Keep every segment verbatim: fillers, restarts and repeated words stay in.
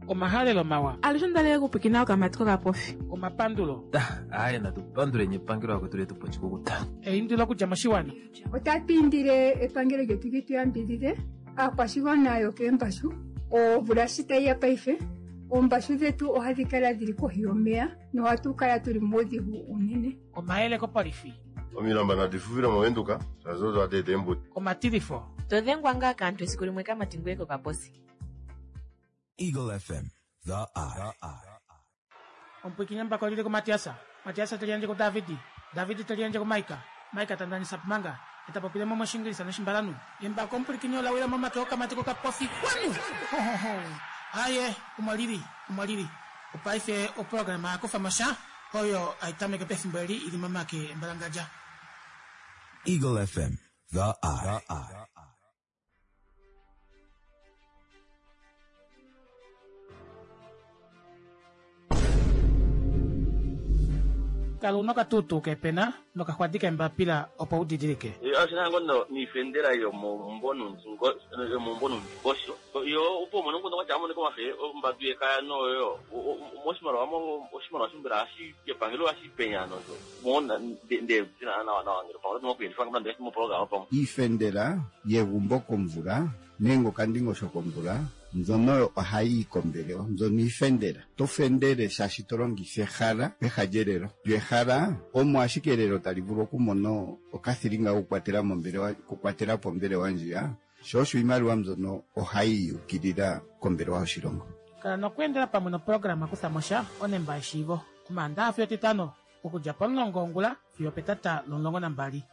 Omahalelo mawa. Alushe ondalele kupwikina okamati kokapofi. Omapandulo. Aaye natu panduleni epangelo akwetu letu pochikukuta. Eindilo okudja moshiwana. Otatu indile epangelo lyetu li tu yambidhidhe aakwashigwana yokeembashu. Omvula shi tayi ya paife, oombashu dhetu ohadhi kala dhili kohi yomeya nohatu kala tuli muudhigu unene. Omayele kopolifi. Omilamba nadi fufile movenduka shaashi odo hadi eta eembuto. Omatilifo. To dhengwa ngaa kaantu esiku limwe kamati ngweye kokaposi. Eagle F M, The Eye. Omupwikinye mbako lili kuMatiasa. Matiasa te liyandje kuDavidi. Davidi te liyandje kuMaika. Maika ta ndanisa pumanga. Eta popile mo moshingilisa noshimbalanu. Embako omupwikinye ola wila momake okamati kokapofi. Kwanu! Ho, ho, ho. Aye, omo lili, omo lili. Opaife oprograma ya kufa mosha oyo aitameke pefimbo eli ili momake embalangadja. Eagle F M, The Eye. Kala una okatutu kepena nokaxwadi kembapila opo u didilike. Oshina ngono niifendela yomombo nondingosho yo opo mono ngono watya amone komafe ombadu yekaya noyo moshimaliwa oshimaliwa shimbela ashi epangelo ashi penya nozo mona nde zina nawa nawa ngelo pamwe mokuyendifa ngamanda moprogram pamwe iifendela yegumbo komvula nenge okandingosho komvula mbyono ohayi kombelewa mbyono iifendela to fendele shaashi to longitha ehala peha lyelelo lyo ehala omo ashike elelo tali vulu okumona okathilinga kokukwatela mombelewa kukwatela po ombelewa ndjiya sho osho iimaliwa mbyono ohayi yukilila kombelewa yoshilongo. Kala nokweendela pamwe noprograma kutha mosha onemba yeshiivo omaandaha fiyo etitano okudja pomulongo wongula fiyo petata lomulongo nambali.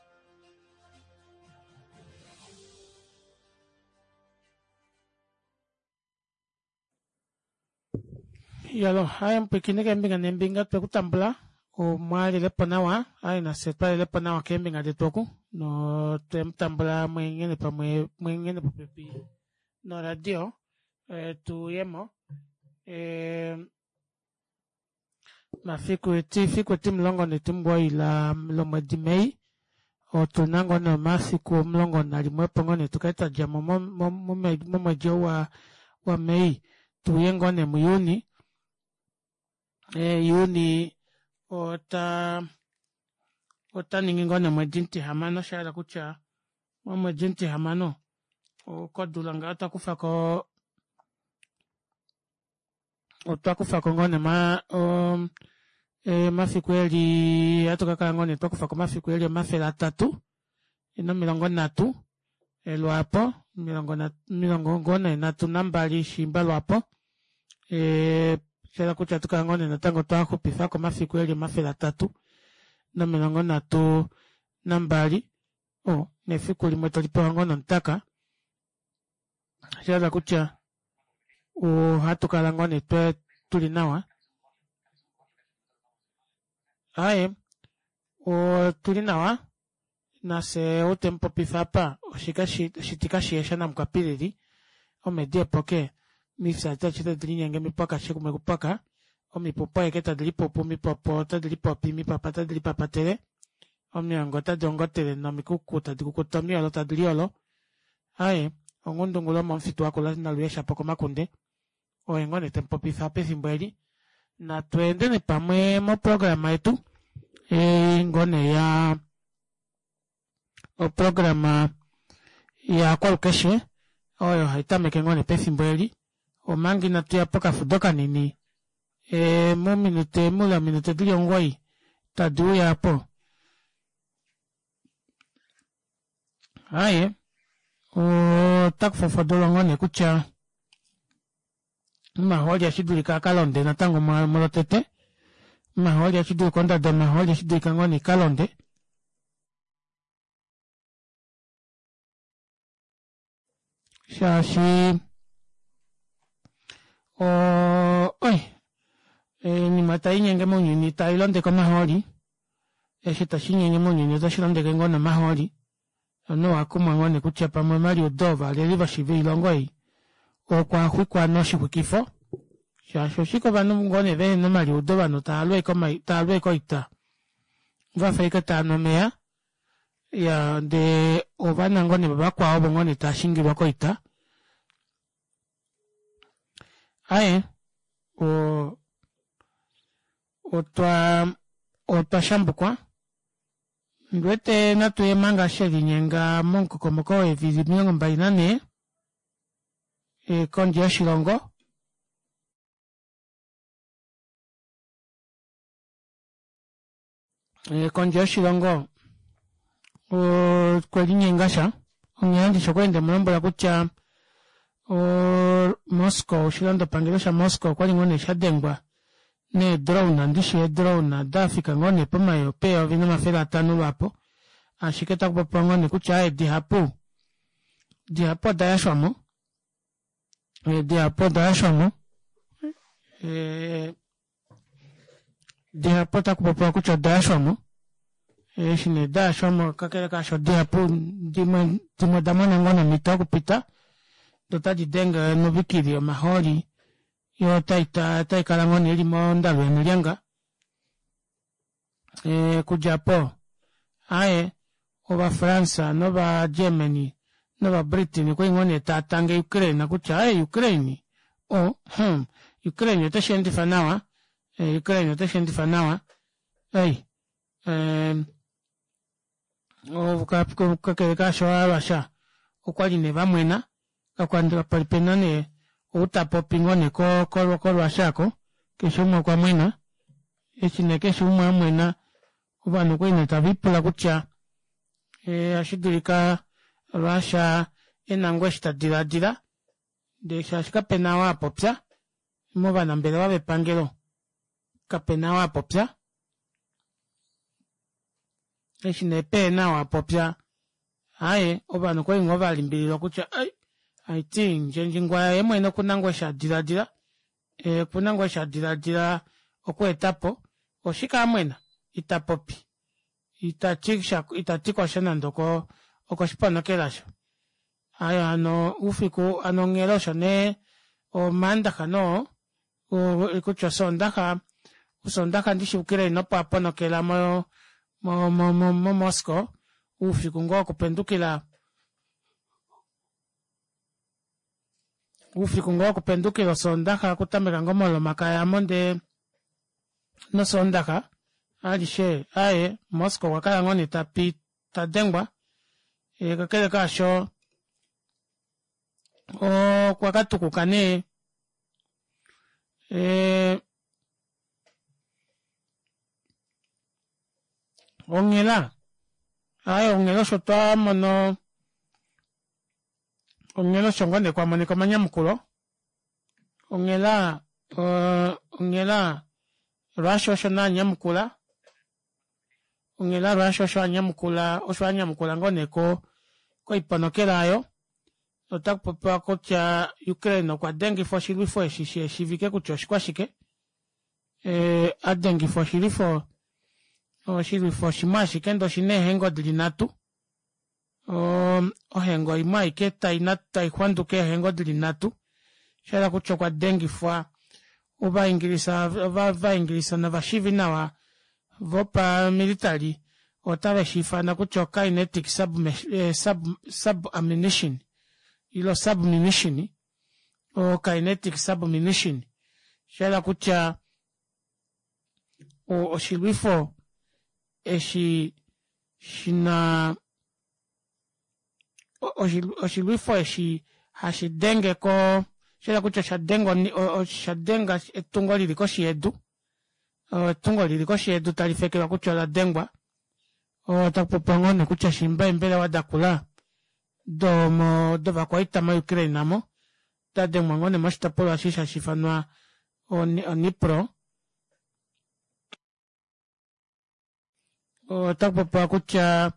Yalo, haye mpwikine keembinga neembinga twekutambula omwalelepo nawa aye nafye twalelepo nawa keembinga detu oku no twemutambula mweengene pamwe mweengene popepi noradio e, tuyemo e, mafiku eti fiku etimulongo netimugwoi la lomwedi Mei otuna ngoo nee omafiku omulongo nalimwe opo ngoo nee tukale twadjamo momwedi ou wa, wa Mei tuye ngoo nee muJuni. E, Juni ota ota ningi ngoo nee omwedi mutihamano, shahala kutya momwedi mutihamano okodula ngaho otwa kufako otwa kufako ngoo nee ma o, e, omafiku eli ohatu kakala ngoo nee twakufako omafiku eli omafele atatu nomilongo nhatu lwaapo omilongo ngoo nee nhatu nambali shiimba lwaapo e, shahala kutya ohatukala ngoo nee natango twaxupifako omafiku eli omafele atatu nomilongo nhatu nambali o nefiku limwe tolipewa ngoo nomutaka shahala kutya ohatukala ngoo nee tuli nawa. Aye otuli nawa nafye ou temupopifa apa oshitika shiyesha namukwapilili omedi epoke mifya tashe tadi linyenge mipwaka shekumwe kupwaka omipupu aeke tadi lipupu omipopo otadi lipopi omipapa otadi lipapatele omiongo otadi ongotele nomikuku tadi kukuta omiolo tadi liolo. Aye onghundungulo momufitu wakula naluyeshapo komakunde oye ngoo nee temupopifa pefimbo eli. Natu endeni pamwe moprograma yetu e, ngoo nee ya oprograma yakwalukeshe oyo haitameke ngoo nee pefimbo eli omanga inatu ya pokafudo kanini e, mominute mule ominute dili omugoyi tadi uya apo. Aye otakufofodolwa ngoo nee kutya omahooli ashidulika akalonde natango molotete omahooli ashidulika ondado omahooli ashidulika ngoo nee ikalonde shaashi o oi oinima tainyenge mounyuni tailondeke omahooli eshi tashinyenge mounyuni otashi londeke ngoo nomahooli omunhu owakumwa ngoo nee kutya pamwe omaliudo ovaleli voilongo ei okwa xwikwa noshixwikifo shaashi oshike ovanhu ngoo nee vehena omaliudo ovanhu taalwe ashike oita vafa ashike taanu omeya ya ndee ovana ngoo nee vavakwao ovo ngoo nee taashingilwa koita. Aaye Oo otwa otwa shambukwa ondiwete natuye manga shelinyenga momukokomoko weevili omilongo mbali nanhee kondje yoshilongo kondje yoshilongo okwelinyengasha onghela ndishi okwali ndemulombwela kutya oo moscow oshilandopangelo sha moscow okwali ngoo nee shadengwa nee drone ndishi ee drone dafika ngoo nee peyovi nomafele atanho lwaapo ashike otakupopiwa ngoo nee kutya aaye dihapu dihapu odayashwamo dihapu odayashwamo dihapu otakupopiwa kutya odayashwamo eshi nee dayashwamo kakele kaasho dihapu dimwe dimwe odamona ngoo nee omito yokupita doo otadi denge onovikili yomahooli yoo otaikala ngoo nee ili mondalu yanalyanga okudja aapo aaye ova france nova germany nova britain okwali ngoo nee taatange ukraine kutya aaye ukraine oo hmm ukraine otesheendifa nawa ukraine otesheendifa nawa ei kakele kaasho ova russia okwali nee vamwena kapali pena nee ou tapopi ngoo nee ko russia aako keshe umwe okwamwena eshi nee keshe umwe amwena ovanhu okwali nee tavipula kutya ohashidulika russia ena ngoo eshi tadilaadila ndee shaashi kapena ou apopya movanambelewa vepangelo kapena ou apopya eshi nee pehena ou apopya aaye ovanhu okwali ngoo valimbililwa kutya ai haiti ndjendjingwaya yeemwene okuna ngoo eshi adilaadila okuna ngoo eshi adilaadila okweetapo oshike amwena itapopi itati kosha nande okoshiponokela aasho aaye hano oufiku hano onghela osho nee omandaxa noo kutya osondaxa osondaxa ndishi ukraine opo aponokela mo mo mo moscow oufiku ngoo wokupendukila oufiku ngoo wokupendukila osondaxa okutameka ngoo molomakaya aamo ndee nosondaxa alishe aaye moscow okwakala ngoo nee tapi tadengwa kakele kaasho okwa katukuka nee onghela aaye onghela osho twamono onghela osho ngoo nee kwamonika omanyamukulo onghela onghela russia osho nee anyamukula onghela russia osho anyamukula osho anyamukula ngoo nee koiponokela aayo otakupopiwa kutya ukraine okwa dengifa oshilwifo eshi shishivike kutya oshikwashike adengifa oshilwifo oshilwifo shimwe ashike ndee oshina eehengo dili nhatu ohengo imwe aike taixwanduka eehengo dili nhatu oshahala kutya okwa dengifwa ovaingilisa ovaingilisa novashiivi nawa vopamilitary otave shiifana kutya o kinetic sub ammunition ile submunition o kinetic submunition oshahala kutya oshilwifo eshi shina oshilwifo eshi hashidenge ko oshahala kutya oshadenga etungo lili koshi yedu etungo lili koshi yedu talifekelwa kutya oladengwa otakupopiwa ngoo nee kutya shiimba eembelewa dakula domo dovakwaita mo ukraine aamo dadengwa ngoo nee moshitopolwa eshi hashiifanwa onipro otakupopiwa kutya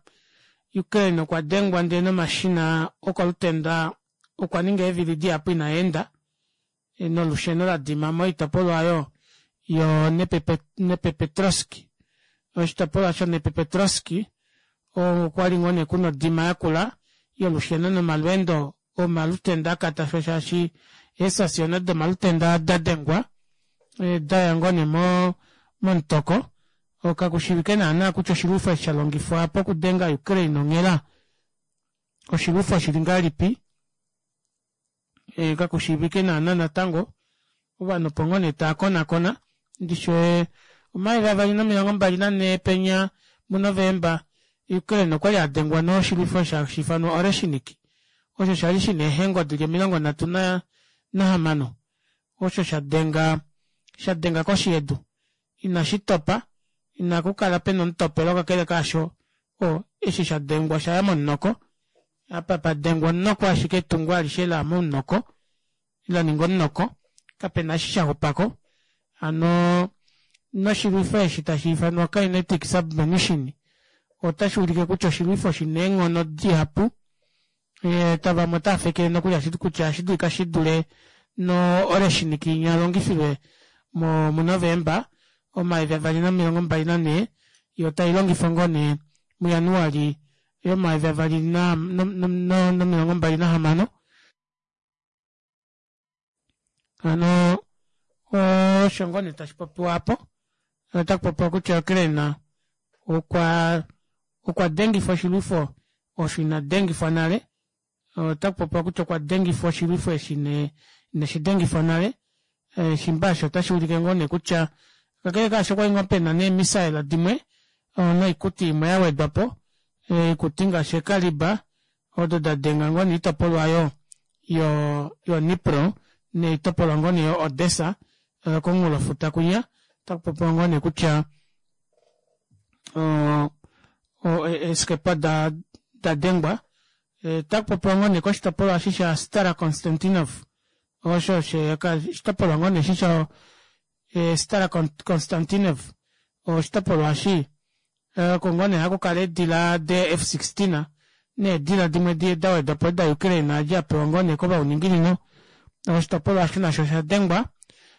ukraine okwa dengwa ndee nomashina okolutenda okwa ninga eevili dihapu inaenda nolusheno ladima moitopolwa aayo yo nepepetroski oshitopolwa sho nepepetroski okwali ngoo nee kuna odima yakula yolusheno nomalweendo omalutenda akatasho shaashi eesasiona domalutenda dadengwa daya ngoo nee momutoko kakushiivike naana kutya oshilwifo eshi shalongifwa pokudenga ukraine onghela oshilwifo shili ngahelipi kakushiivike naana natango Ovanhu opo ngoo nee taakonakona ndishi omayovi avali nomilongo mbali nanhee penya mu november Ukraine okwali adengwa noshilwifo osho hashiifanwa Oreshnik osho shali shina eehengo dili omilongo nhatu nahamano osho shadenga shadenga koshi yedu ina shitopa ina kukala pena omutopelo kakele kaasho oo eshi shadengwa oshaya momunoko apa padengwa omunoko ashike etungo alishe laya momunoko laninga omunoko kapena eshi shaxupako hano noshilwifo eshi tashiifanwa kinetic submunition otashuulike kutya oshilwifo shina eenghono dihapu vamwe otaafekele nokuli kutya ohashidulika shidule no oreshnik inya yalongifilwe mu november omayovi avali nomilongo mbali nanhee yoo tailongifwa ngoo nee mu januali yomayovi avali nomilongo mbali nahamano hano osho ngoo nee tashipopiwa aapo otakupopiwa kutya ukraine okwa okwa dengifa oshilwifo osho ina dengifwa nale otakupopiwa kutya okwa dengifa oshilwifo eshi nee inashidengifwa nale shimba aasho otashuulike ngoo nee kutya kakele kaasho okwali ngoo pena nee missile dimwe noikuti imwe yawedwapo oikuti ngaashi eekaliba odo dadenga ngoo nee oitopolwa aayo yo nipro noitopolwa ngoo nee yo odessa komunghulofuta kwinya otakupopiwa ngoo nee kutya oo eeskepa dadengwa otakupopiwa ngoo nee koshitopolwa eshi sha stara constantinov osho oshitopolwa ngoo nee eshi sha stara constantinov oshitopolwa eshi oko ngoo nee hakukala eedila dee F sixteen needila dimwe dawedwapo da ukraine adi apewa ngoo nee kovauninginino oshitopolwa aasho nasho oshadengwa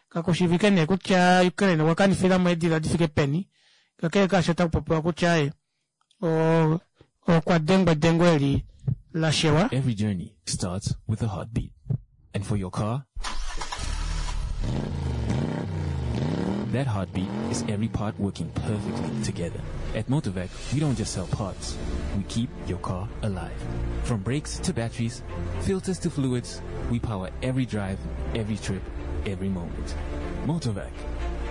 kakushiivike nee kutya ukraine okwa kanifilamo eedila difike peni kakele kaasho otakupopiwa kutya aaye okwa dengwa edengo eli lashewa. Every journey starts with a heartbeat. And for your car, that heartbeat is every part working perfectly together. At Motorvac, we don't just sell parts. We keep your car alive. From brakes to batteries, filters to fluids, we power every drive, every trip, every moment. Motorvac,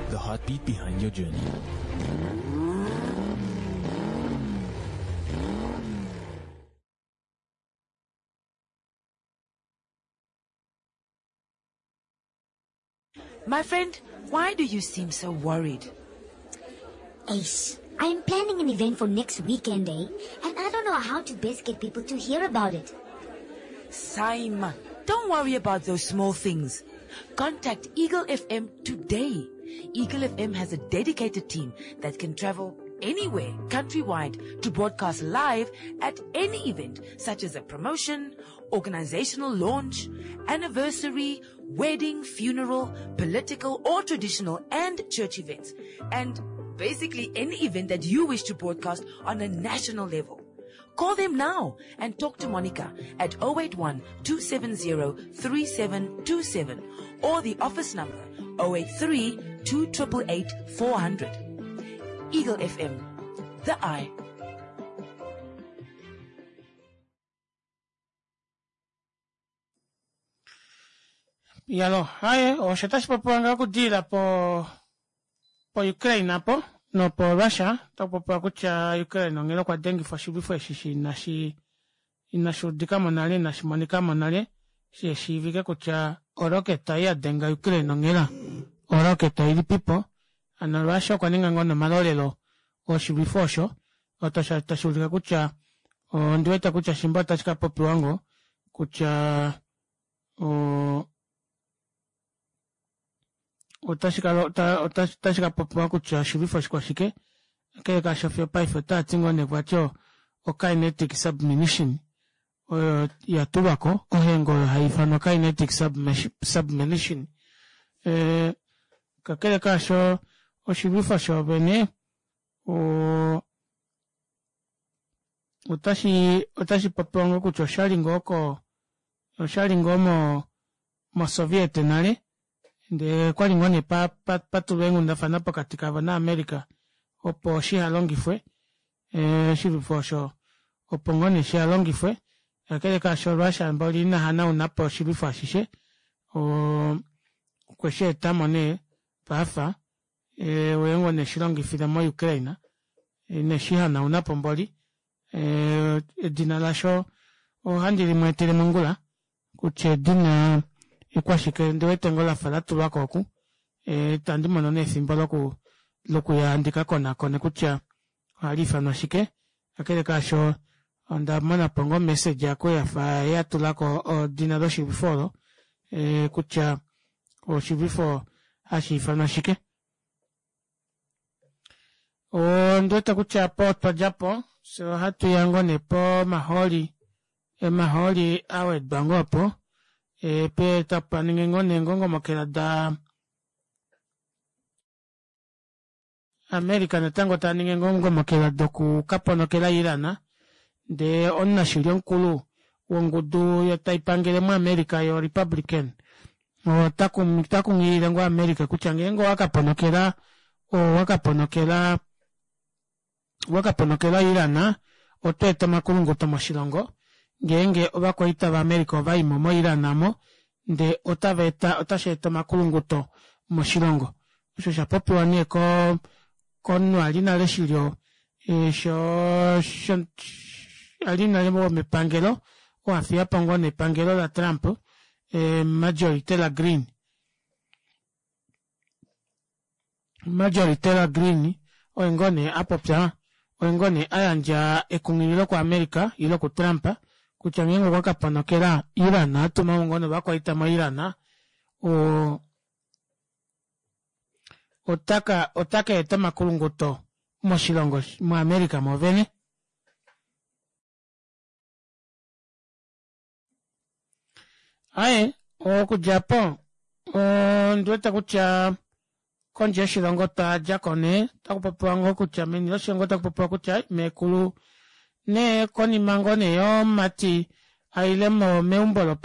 the heartbeat behind your journey. My friend, why do you seem so worried? Ace, I'm planning an event for next weekend, eh? And I don't know how to best get people to hear about it. Saima, don't worry about those small things. Contact Eagle F M today. Eagle F M has a dedicated team that can travel anywhere, countrywide, to broadcast live at any event, such as a promotion, organizational launch, anniversary, wedding, funeral, political or traditional and church events, and basically any event that you wish to broadcast on a national level. Call them now and talk to Monica at oh eight one, two seven zero, three seven two seven or the office number oh eight three, two triple eight, four hundred. Eagle F M, the eye. Yalo, haye, osho tashi popiwa ngaho okudilila po po Ukraine apo nopo Russia, otaku popiwa kutya Ukraine onghela okwa dengifwa oshilwifo eshi shi inashi inashi udikamo nale, inashi monikamo nale, shi shiivike kutya oroketa ei yadenga Ukraine onghela oroketa ilipipo. Hano Russia okwa ninga ngoo nomalolelo oshilwifo osho, otashi ulike kutya ondiwete kutya shimba otashi ka popiwa ngoo kutya o otashi ka popiwa kutya oshilwifo oshikwashike. Kakele kaasho fiyo paife otaati ngoo nee vati o kinetic submunition oyo yatulwako, ohengo oyo haifanwa kinetic submunition. Kakele kaasho oshilwifo shoovene otashi otashi popiwa ngoo kutya oshali ngoo ko oshali ngoo mo moSoviet nale, ndele kwali ngoo nee patulwa eenghundafana pokati kavo naAmerica opo shihalongifwe oshilwifo osho, opo ngoo nee shihalongifwe. Kakele kaasho Russia mboli ina hanaunapo oshilwifo ashishe, Okwesheetamo nee paafa oye ngoo nee eshilongifile mo Ukraine ineshihanaunapo mboli edina lasho ohandi limweetele mongula kutya edina ikwashike ondiwete ngoo lafa latulwako oku itandi mono nee efimbo loku lokuya ndikakonakone kutya ohaliifanwa shike kakele kaasho ondamonapo ngoo omessage aako yafa yatulako edina loshilwifo oolo kutya oshilwifo hashiifanwa shike. Ondiwete kutya aapo otwadjapo fyee ohatuya ngoo nee pomahooli omahooli awedwa ngoo opo tapaningi ngoo nee eengongomokela daa America natango taningi eengongomokela doku kaponokela iran ndee omunashili omukulu wongudu taipangele mo america yo republican otakunghilile ngoo america kutya ngeenge owakaponokela owakaponokela owakaponokela iran otweeta omakulunguto moshilongo ngeenge ovakwaita va america ovaimo mo iran aamo ndee otavaeta otasheeta omakulunguto moshilongo osho oshapopiwa nee koo komunhu ali nale oshilyo shoo ali nale womepangelo oo afiyapo ngoo nee epangelo la trump marjory taylor greene Marjory Taylor Greene oye ngoo nee apopya oye ngoo nee ayandja ekunghililo ku america ile ku trump kutya ngeenge okwa kaponokela iran atumamo ngoo nee ovakwaita mo iran oo otaka otakaeta omakulunguto moshilongo mo america moovene. Aaye okudja aapo ondiwete kutya kondje yoshilongo otwadjako nee otakupopiwa ngoo kutya meni loshilongo otakupopiwa kutya meekulu nee konima ngoo nee yomumati aile meumbo lo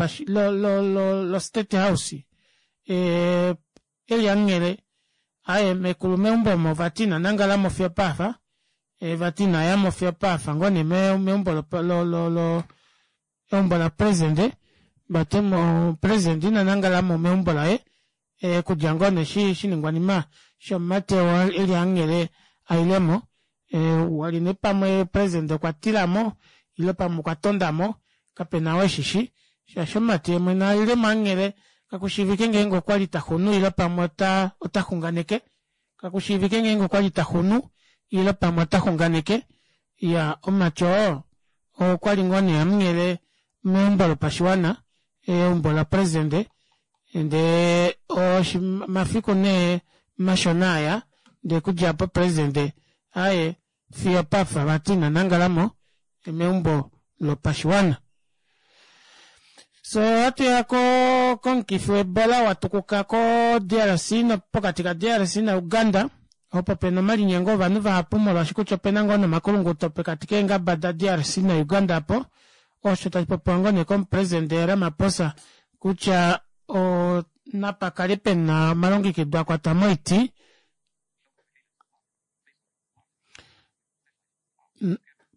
lo lo state house eli hamunghele aaye meekulu meumbo omo vati ina nangalamo fiyo opaafa vati inayamo fiyo opaafa ngoo nee meumbo lo lo eumbo lapresident vati president ina nangalamo meumbo laye okudja ngoo nee eshi oshiningwanima shomumati oo eli hamunghele ailemo wali nee pamwe president okwatilamo ile pamwe okwatondamo kapena oo eshishi shaashi omumati yeemwene ailemo hamunghele kakushiivike ngeenge okwali taxunu ile pamwe ota otaxunganeke kakushiivike ngeenge okwali taxunu ile pamwe otaxunganeke iyaa omumati oo okwali ngoo nee hamunghele meumbo lopashiwana eumbo lapresident ndee omafiku nee mashona aaya ndee okudja aapo president aaye fiyo opapa vati ina nangalamo meumbo lopashiwana. Fyee ohatuya komukifi wo ebola watukuka ko D R C pokati ka D R C na uganda opo pena omalinyengo ovanhu vahapu molwaashi kutya opena ngoo nee omakulunguto pokati keengaba da D R C na uganda aapo osho tashipopiwa ngoo nee komupresident ramaposa kutya napakale pena omalongekido akwata moiti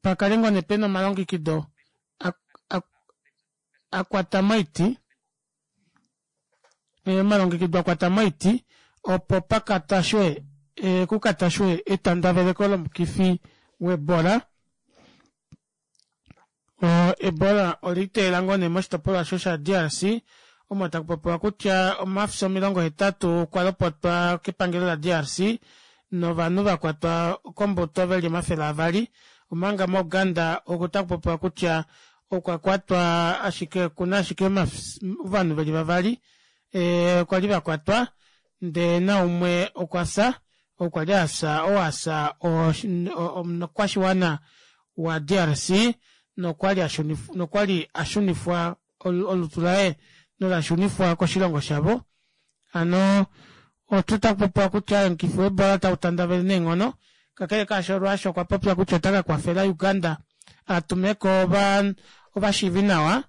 pakale ngoo nee pena omalongekido akwata moiti omalongekido akwata moiti opo pakatashwe kukatashwe etandaveleko lomukifi wo ebola ebola oliiteyela ngoo nee moshitopolwa aasho sha D R C omo takupopiwa kutya omafyo omilongo hetatu okwa lopotwa kepangelo la D R C novanhu vakwatwa kombuto veli omafele avali omanga mo uganda ota kupopiwa kutya okwa kwatwa ashike okuna ashike ovanhu veli vavali kwali vakwatwa ndee naumwe okwafya ou kwali afya ou afya omukwashiwana wa D R C nokwali nokwali ashunifwa olutu laye nolashunifwa koshilongo shavo hano otakupopiwa kutya omukifi wo ebola ota utandavele neenghono kakele kaasho russia okwa popya kutya ota kakwafela uganda atumeko ovashiivinawa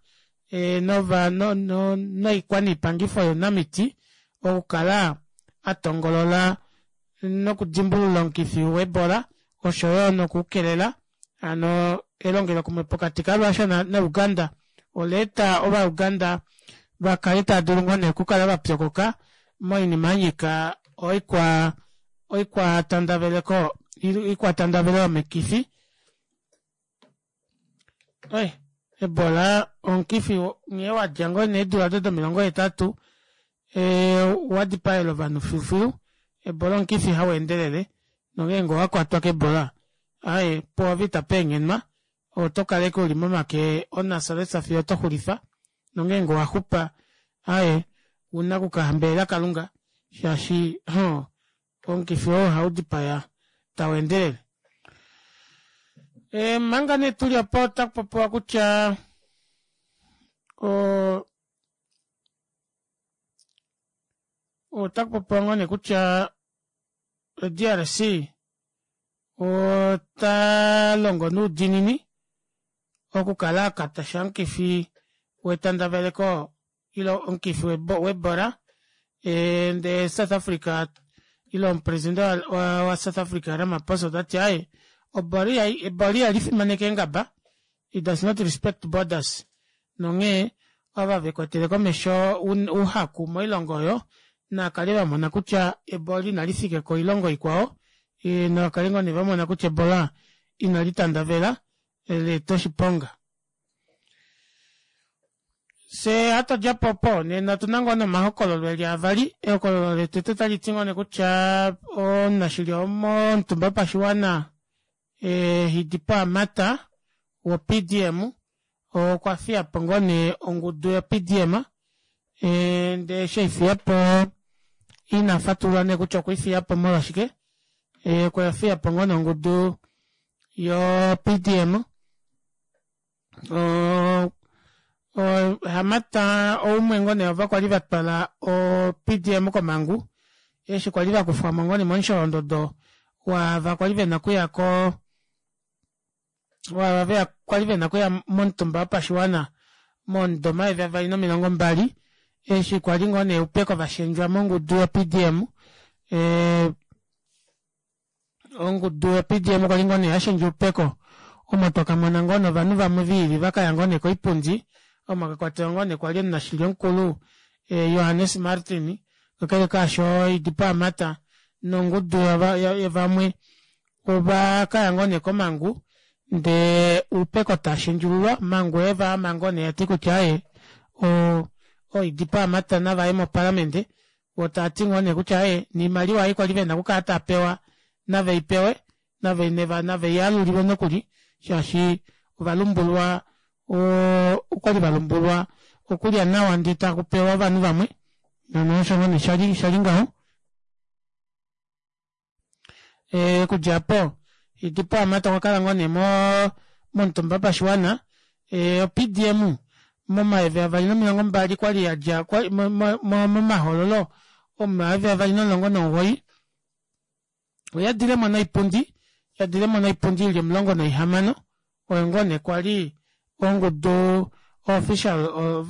nova noikwaniipangifo younamiti okukala atongolola nokudimbulula omukifi wo ebola oshoyo nokukelela hano elongelokumwe pokati ka russia na uganda ola eta ova uganda vakale taadulu ngoo nee okukala vapyokoka Moinima yanyika oikwa oikwatandaveleko oikwatandavelo yomikifi. Oi ebola omukifi nghee wadja ngoo nee eedula odo domilongo hetatu ee wadipaela ovanhu filufilu. Ebola omukifi haweendelele nongeenge owakwatwa kebola aaye pwoove itapeengenwa otokala ashike uli momake omunasalesa fiyo otoxulifa nongeenge owaxupa aaye ouna okukahambelela kalunga shaashi nhoo omukifi oo ohaudipaya taweendelele. Omanga nee tuli opo otakupopiwa kutya oo otakupopiwa ngoo nee kutya D R C otalongo noudinini okukala akatasha omukifi wetandaveleko ile omukifi webola ndee South Africa ile omupresident wa South Africa Ramaphosa otati aaye ebola ihalifimaneke eengaba, it does not respect borders, nonghee ava vekwetele komesho ouhaku moilongo oyo naakale vamona kutya ebola inalifika koilongo ikwao, navakale ngoo nee vamona kutya ebola inalitandavela leeta oshiponga. Fyee hatodjapo opo nena otuna ngoo nee omahokololo eli avali. Ehokololo lotete otaliti ngoo nee kutya omunashili womomutumba wopashiwana Hidipo Hamata wo P D M okwafiyapo ngoo nee ongudu yo P D M ndee eshi eifiyapo ina fatulula nee kutya okwiifiyapo molwashike, okwafiyapo ngoo nee ongudu yo P D M. Oo Hamata oumwe ngoo nee waava kwali vatwala o P D M komangu eshi kwali vakufwamo ngoo nee momusholondodo waava kwali vena okuya koo waava kwali vena okuya momutumba wopashiwana momudo omayovi avali nomilongo mbali eshi kwali ngoo nee oupeko vashendjwa mongudu yo P D M ee ongudu yo P D M kwali ngoo nee yashendja oupeko omo twakamona ngoo nee ovanhu vamwe viili vakaya ngoo nee koipundi omo mwakwatelwa ngoo nee kwali omunashili omukulu Johannes Martin, kakele kaasho Hidipo Hamata nongudu yavamwe ovakaya ngoo nee komangu ndee oupeko tashendjululwa omangu oyevaama ngoo nee yati kutya aaye ooHidipo Hamata navaye moparlament voo taati ngoo nee kutya aaye noimaliwa ei kwali vena okukala taapewa naveipewe naveiyalulilwe nokuli shaashi ovalumbulwa okwali valumbulwa okulya nawa ndee takupewa ovanhu vamwe hano osho ngoo nee shali shali ngaho. Okudja aapo Hidipo Hamata okwakala ngoo nee momutumba wopashiwana o P D M momayovi avali nomilongo mbali kwali yadja momahoololo omomayovi avali nomulongo nomugoyi oyadilemo noipundi yadilemo noipundi ili omulongo naihamano oyo ngoo nee kwali ongudu official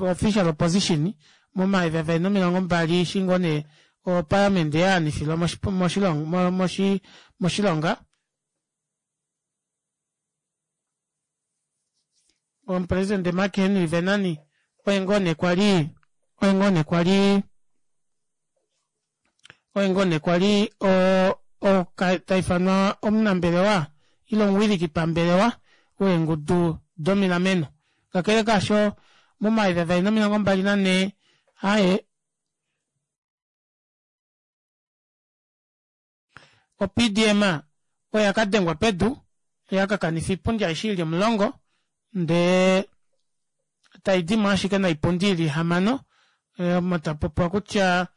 official opposition momayovi avali nomilongo mbali eshi ngoo nee oparliament yaanifilwa moshilongo moshilonga. Omupresident Mark Henry Venani oye ngoo nee kwali oye ngoo nee kwali oye ngoo nee kwali o taifanwa omunambelewa ile omuwiliki pambelewa weengudu domilameno. Kakele kaasho momayovi avali nomilongo mbali nanhee aaye o P D M oya kadengwa pedu yakakanifa oipundi aishe ili omulongo ndee taidimo ashike noipundi ili ihamano omo tapopiwa kutya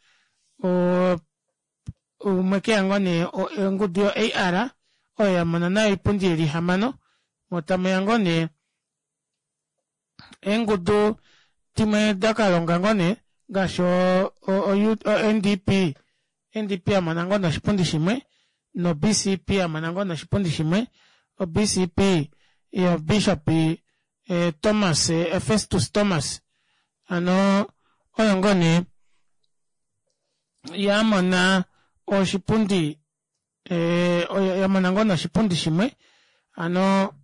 umwe keya ngoo nee ongudu yo A R oyo yamona nayo oipundi ili ihamano moo tamuya ngoo nee eengudu dimwe dakalonga ngoo nee ngaashi o N D P, N D P yamona ngoo nee oshipundi shimwe no B C P yamona ngoo nee oshipundi shimwe. O B C P yo bishop Thomas Festus Thomas hano oyo ngoo nee yamona oshipundi yamona ngoo nee oshipundi shimwe hano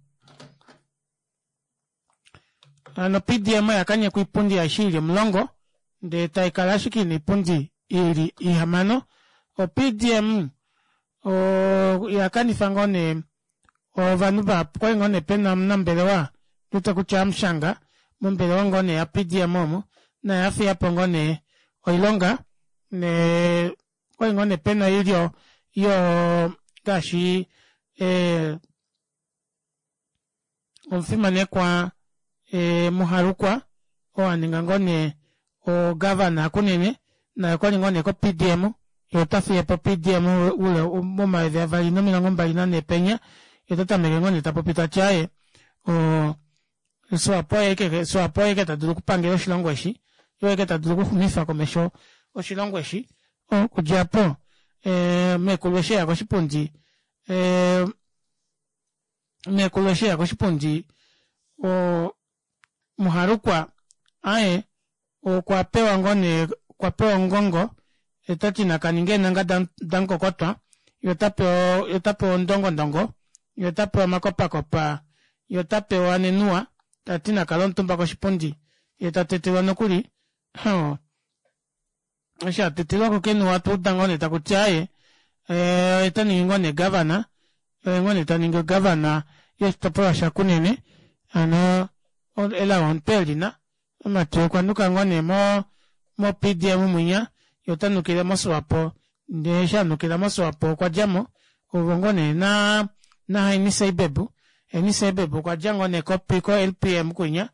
hano P D M oyakanyekwa oipundi aishe ili omulongo ndee taikala ashike ina oipundi ili ihamano. O P D M oyakanifa ngoo nee ovanhu vahapu okwali ngoo nee pena omunambelewa ndiwete kutya hamushanga mombelewa ngoo nee ya P D M omo naye afiyapo ngoo nee oilonga nee okwali ngoo nee pena oilyo yoo ngaashi ee omufimanekwa muharukwa oo aninga ngoo nee o governor yakunene naye okwali ngoo nee ko P D M yee otafiyepo P D M oule momayovi avali nomilongo mbali nanhee penya yee otatameke ngoo nee tapopi tati aaye oo swapo oye ashike tadulu okupangela oshilongo eshi oye ashike tadulu okuxumifa komesho oshilongo eshi okudja aapo meekulu eshi eya koshipundi ee meekulu eshi eya koshipundi oo muharukwa aaye okwapewa ngoo nee okwapewa ongongo yee otati nakaninge eenhanga damukokotwa yee otapewa ondongondongo yee otapewa omakopakopa yee otapewa nenuwa tati nakale omutumba koshipundi yee tatetelwa nokuli oo eshi atetelwako kenuwa otwauda ngoo nee takuti aaye oye taningi ngoo nee governor oye ngoo nee taningi governor yoshitopolwa sha kunene hano elao omutwe elina omumati okwanuka ngoo nee mo P D M mwinya yee otanukile mo swapo ndee eshi anukila mo swapo okwadjamo ovo ngoo nee naa haini seibeb haini seibeb okwadja ngoo nee ko L P M kwinya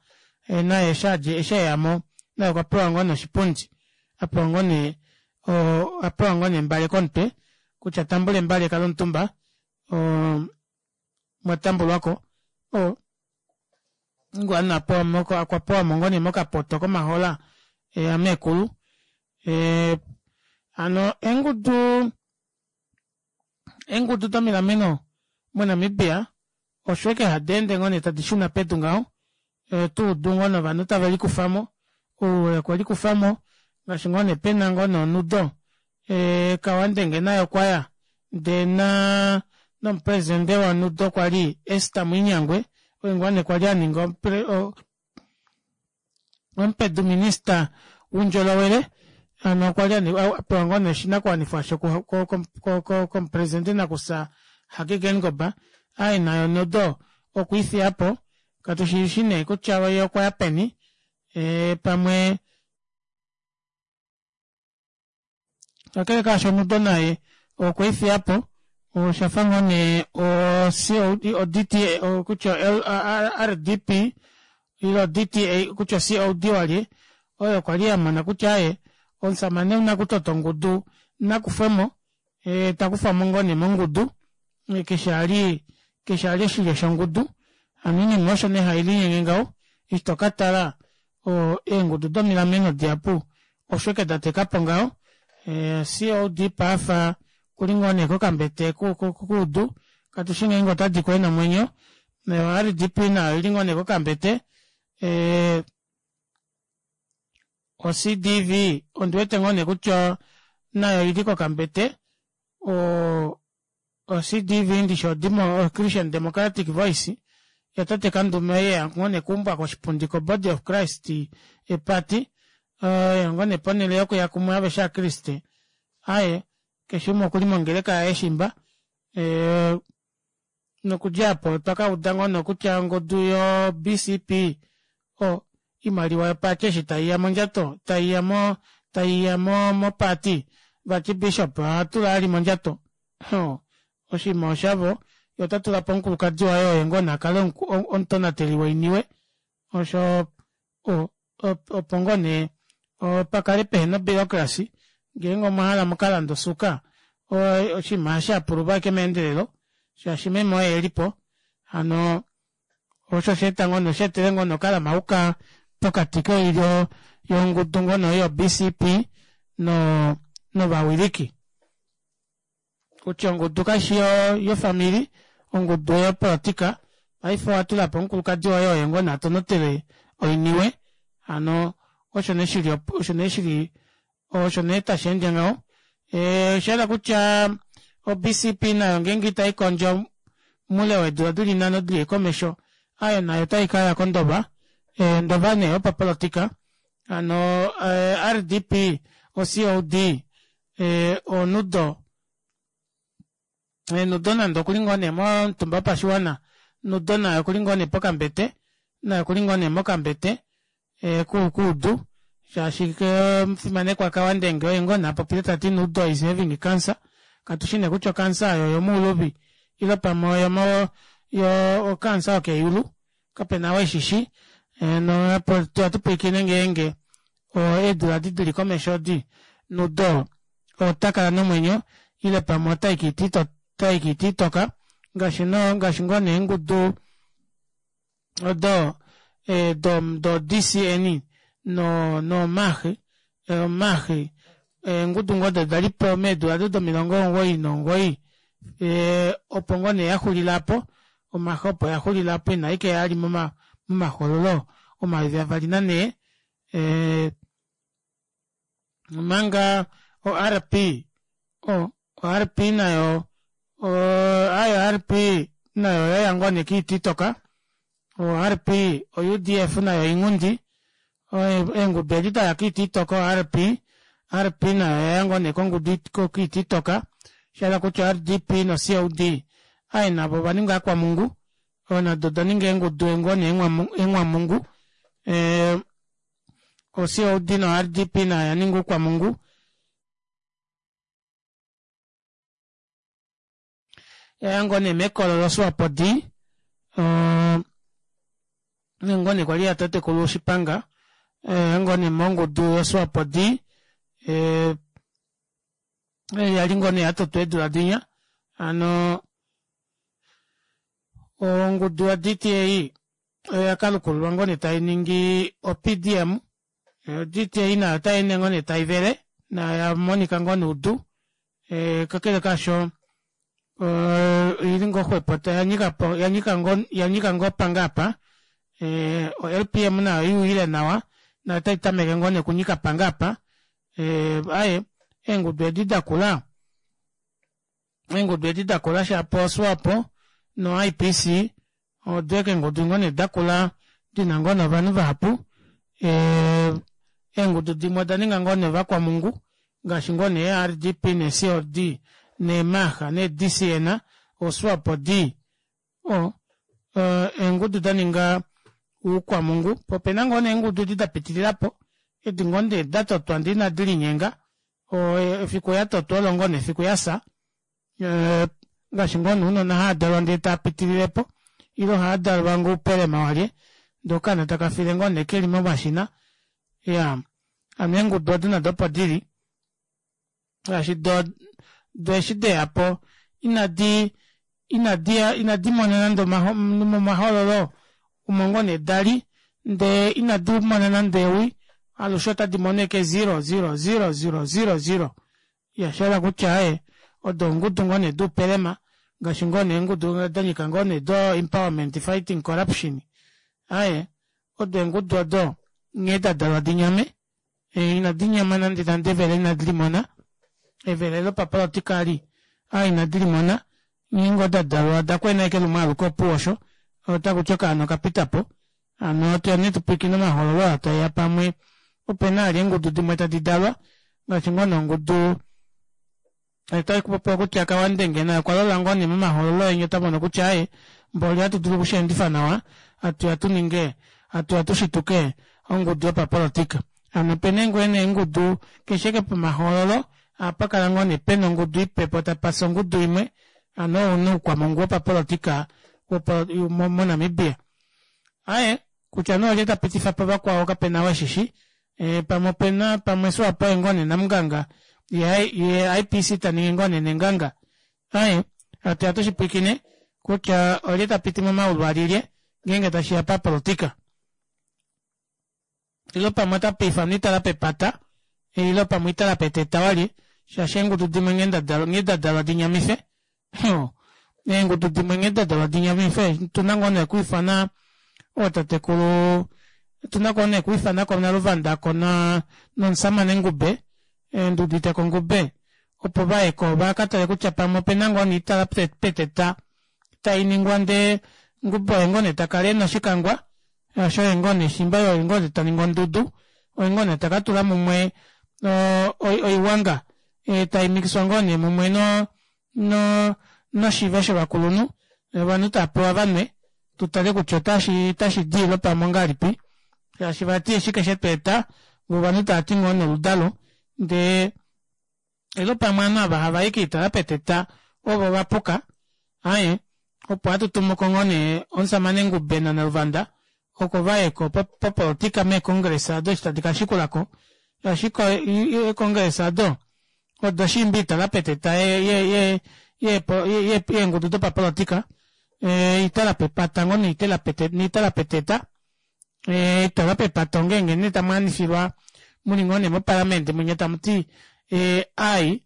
naye eshi eyamo naye okwapewa ngoo nee oshipundi apewa ngoo nee apewa ngoo nee embale komutwe kutya tambula embale kala omutumba oo mwatambulwako oo okwapewamo ngoo nee mokapoto komahola ameekulu hano eengudu eengudu domilameno mo namibia osho ashike hadeende ngoo nee tadi shuna pedu ngaho otuudu ngoo nee ovanhu tave likufamo ou okwelikufamo ngaashi ngoo nee pena ngoo nee onudo kauandenge naye okwaya ndee naa nomupresident wo nudo kwali ester muinyangue oo ngoo nee kwali aninga omupedu minister woundjolowele hano okwali apewa ngoo nee oshinakuwanifwa aasho komupresidente nakufya hage geingob aaye naye onudo okwiifiyapo katushishi nee kutya yee okwaya peni pamwe kakele kaasho onudo naye okwiifiyapo oshafa ngoo nee o D T A kutya R D P ile D T A kutya C O D walye oyo kwali yamona kutya aaye omushamane ou nakutota ongudu nakufwemo takufwamo ngoo nee mongudu keshe ali keshe ali oshilyo shongudu hano oinima osho nee hailinyenge ngaho eshi tokatala eengudu domilameno dihapu osho ashike datekapo ngaho C O D paife okuli ngoo nee kokambete koudu katushi ngeenge otadiko ena omwenyo no R D P nayo oili ngoo nee kokambete o C D V ondiwete ngoo nee kutya nayo oili kokambete oo o C D V ndishi o christian democratic voice yatate kandume oyo eya ngoo nee okuumbwa koshipundi ko body of christ party oyo ngoo nee ponele yokuya kumwe aveshe ovakriste aaye keshe umwe okuli mongeleka yaye shimba nokudja aapo otwakauda ngoo nee kutya ongudu yo B C P oimaliwa yoparty eshi taiya mondjato taiya mo taiya moparty vati bishop ohatula vali mondjato oshinima oshavo yee otatulapo omukulukadi waye oye ngoo nee akale omutonateli woiniwe osho opo ngoo nee pakale pehena obureaucracy ngeenge omwahala mukalande osuuka oshinima ohashi apululwa ashike meendelelo shaashi meme oye elipo hano osho oshaeta ngoo nee osheetele ngoo nee okalamauka pokati koilyo yongudu ngoo yo B C P noo novawiliki kutya ongudu kaishi yofamili ongudu oyopolitika paife owatulapo omukulukadi woye oye ngoo nee atonatele oiniwe hano osho nee shili osho nee shili osho nee tasheende ngaho oshahala kutya o B C P nayo ngeenge itaikondjo moule weedula dili nhano dili komesho aaye nayo otaikaya kondoba ondoba nee yopapolitika hano R D P o C O D Ee oNudo Nudo nande okuli ngoo nee momutumba wopashiwana Nudo naye okuli ngoo nee pokambete naye okuli ngoo nee mokambete koudu shaashi omufimanekwa kauandenge oye ngoo nee apopile tati Nudo is having cancer katushi nee kutya ocancer aayo oyomouluvi ile pamwe oyomo ocancer yokeyulu kapena ou eshishi hano atupwiikine ngeenge eedula edi dili komesho edi Nudo otakala nomwenyo ile pamwe otayi koiti itoka ngaashi ngaashi ngoo nee eengudu odo do D C N no nomah omah eengudu ngoo odo dalipo meedula odo domilongo omugoyi nomugoyi ee opo ngoo nee yaxulile aapo omah opo yaxulile aapo inaikeya vali momahoololo omayovi avali nanhee ee omanga o R P o rp nayo aaye o rp nayo oyaya ngoo nee koita itoka o rp o udf nayo oinghundi eengudu edi daya koita itoka o rp, rp nayo oyaya ngoo nee koita itoka shahala kutya o rdp no cold aaye navo ovaninga ovakwamhungu nado odaninga eengudu ngoo nee eenghwamungu ee o cold no rdp nayo oyaninga oukwamhungu yaya ngoo nee mekolo lo swapo d oo oyo ngoo nee kwali yatatekulu shipanga yaya ngoo nee mongudu yo swapo d ee yali ngoo nee yatotwa eedula dinya hano ongudu ya d t a oyakalukululwa ngoo nee tainingi o p d m o d t a nayo otayeende ngoo nee taivele nayo oyamonika ngoo noudu kakele kaasho oili ngoo xwepo yanyika ngoo pangaapa o l p m nayo oyuuyile nawa nayo otaitameke ngoo nee okunyika pangaapa aaye eengudu edi dakula eengudu edi dakula shapo o swapo no ipc odo ashike eengudu ngoo nee dakula dina ngoo nee ovanhu vahapu eengudu dimwe odaninga ngoo nee ovakwamhungu ngaashi ngoo nee ee rdp nee cold nee mah nee dcn oswapo d oo eengudu daninga oukwamhungu poo opena ngoo nee eengudu edi dapitililapo edi ngoo nee datotwa ndee ina dilinyenga efiku yatotwa olo ngoo nee efiku yafya ngaashi ngoo nee ounona haadalwa ndee taapitililepo ile ohaadalwa ngoo oupelema walye ndee okaana takafile ngoo nee keli momashina iyaa hano eengudu odo nado opo dili shaashi doo doo eshi deyapo inadi inadi inadi mona nande momahoololo omo ngoo nee dali ndee inadimona nande ewi alushe otadi mono ashike zero zero zero zero zero zero iyaa oshahala kutya aaye odo eengudu ngoo nee doupelema ngaashi ngoo nee eengudu danyika ngoo nee do empowerment fighting corruption aaye odo eengudu odo nghee dadalwa dinyame ina dinyama nande nande evele inadi limona evele lopapolitika eli aaye inadi limona nghee ngoo dadalwa odakwena ashike lumwe aluke opuwo osho otakuti okaana okapitapo hano atuya nee tupwiikine omahoololo aa taeya pamwe opena vali eengudu dimwe tadi dalwa ngaashi ngoo nee ongudu otakupopiwa kutya kauandenge naye okwalola ngoo nee momahoololo enya otamono kutya aaye mboli ohatu dulu okusheendifa nawa hatuya tuninge hatuya tushituke ongudu yopapolitika hano opena ngoo nee eengudu keshe ashike pomahoololo ohapakala ngoo nee pena ongudu ipe poo tapafi ongudu imwe hano oo nee oukwamhungu wopapolitika mo namibia aaye kutya nee olye tapitifapo vakwao kapena ou eshishi pamwe opena pamwe swapo oye ngoo nee namunganga yee ipc taningi ngoo nee nenganga aaye hatuya tushipwiikine kutya olye tapiti momaulu alyelye ngeenge tashiya papolitika ile pamwe otapa ifanwa oitala pepata ile pamwe oitala peteta walye shaashi eengudu dimwe nghee dadalwa dinyamife eengudu dimwe nghee dadalwa dinyamife otuna ngoo nee okwiifana ootatekulu otuna ngoo nee okwiifanako naluvanda ko nomushamane ngube nduuditeko ngube opo vayeko vakatale kutya pamwe opena ngoo nee oitala peteta tainingwa ndee ngube oye ngoo nee takala ena oshikangwa shaashi oye ngoo nee shimba oye ngoo nee taningi ondudu oye ngoo nee takatula mumwe oiwanga Taimikiswa ngoo nee mumwe no no noshive shovakulunhu ovanhu taapewa vanwe tutale kutya otashidi ile pamwe ongahelipi shaashi vati oshike shetweeta voo ovanhu tavati ngoo nee oludalo ndee ile pamwe ovanhu ava havai koitala peteta ovo vapuka aaye opo hatu tumuko ngoo nee omushamane Ngube na Naluvanda oko vayeko popolitika mee congress aado eshi tadi kashikulako shaashi ee congress aado odo shiimba oitala peteta ye- ye- ye yeengudu dopapolitika oitala pepata ngoo noitala peteta oitala pepata ongenge nee tamwaanifilwa muli ngoo nee moparliament munya tamuti aayi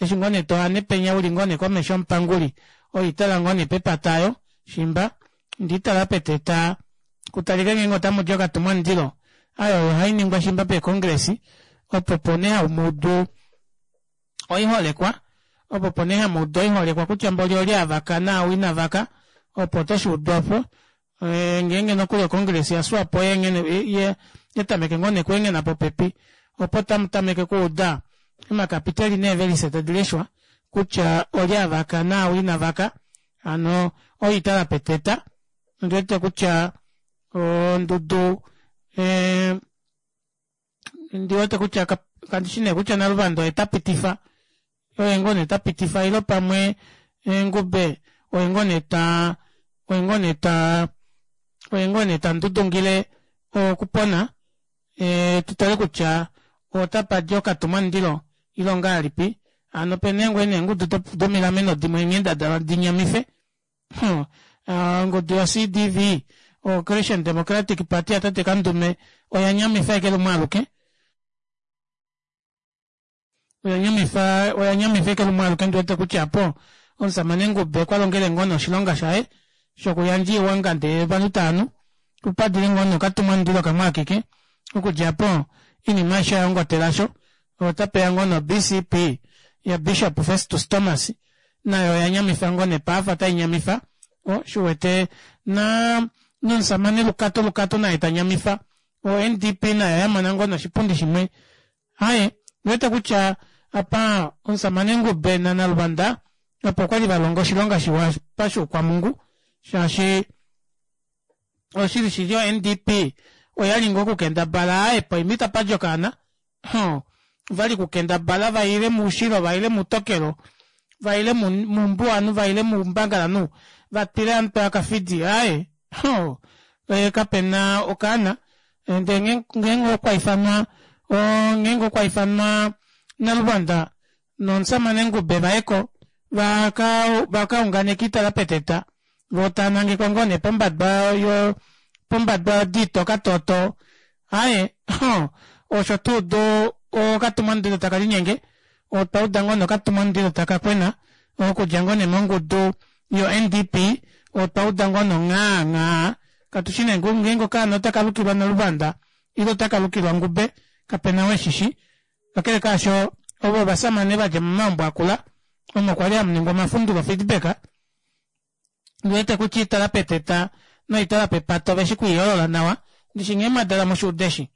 eshi ngoo nee toane penya uli ngoo nee komesho yomupanguli oitala ngoo nee pepata aayo shimba ndee oitala peteta kutalike ngeenge otamudi okatumwa mundilo aaye oyo ohainingwa shimba pee congress opo opo nee hamuudu oiholekwa opo opo nee hamuudu oiholekwa kutya mboli olye avaka naau inavaka opo toshuudu aapo ngeenge nokuli o congress ya swapo yatameke ngoo nee okwenghena popepi opo tamutameke okuuda omakapiteli neevelise tadileshwa kutya olye avaka naau inavaka hano oitala peteta ondiwete kutya ondudu ee ondiwete kutya kandishi nee kutya naluvanda oye tapitifa oye ngoo nee tapitifa ile pamwe ngube oye ngoo nee taa oye ngoo nee taa oye ngoo nee tandudungile okupona tutale kutya otapadi okatumwa mundilo ile ongahelipi hano opena ngoo nee eengudu domilameno dimwe nghee dadalwa dinyamife ongudu yo C_D_V o christian democratic party ya tate kandume oyanyamifa ashike lumwe aluke oyanyamifa oyanyamifa ashike lumwe aluke ondiwete kutya aapo omushamane ngube okwalongele ngoo nee oshilonga shaye shokuyandja oiwanga ndee ovanhu taanu opadile ngoo nee okatumwa mundilo kamwe akeke okudja aapo oinima aishe oyayongotela aasho otapeya ngoo nee o B_C_P ya bishop festus thomas nayo oyanyamifa ngoo nee paafa otainyamifa oo shuuwete naa nomushamane lukato lukato naye tanyamifa o N_D_P nayo oyamona ngoo nee oshipundi shimwe aaye ondiwete kutya apa omushamane ngube na naluvanda opo kwali valonga oshilonga shiwa pashiukwamungu shaashi oshili shili o N_D_P oyali ngoo okukendabala aaye poima itapadi okaana ovali okukendabala vaile moushilo vaile moutokelo vaile moumbuwanhu vaile moumbangalanhu vatwile hamutwe wakafidi aaye kapena okaana ndee ngeenge okwaifanwa ngeenge okwaifanwa naluvanda nomushamane ngube vayeko vakaunganeke oitala peteta voo taanangekwa ngoo nee pombadwa pombadwa yodi itoka toto aaye osho tuudu okatumwa mundilo takalinyenge otwauda ngoo nee okatumwa mundilo takakwena okudja ngoo nee mongudu yo N_D_P otwauda ngoo nee nghaa nghaa katushi nee ngeenge okaana otakalukilwa naluvanda ile otakalukilwa ngube kapena ou eshishi kakele kaasho ovo ovashamane vadja momaumbo akula omo kwali hamuningwa omafundulo feedback ondiwete kutya oitala peteta noitala pepata oveshi kwiiyoolola nawa ndishi nghee mwadalwa mushuude eshi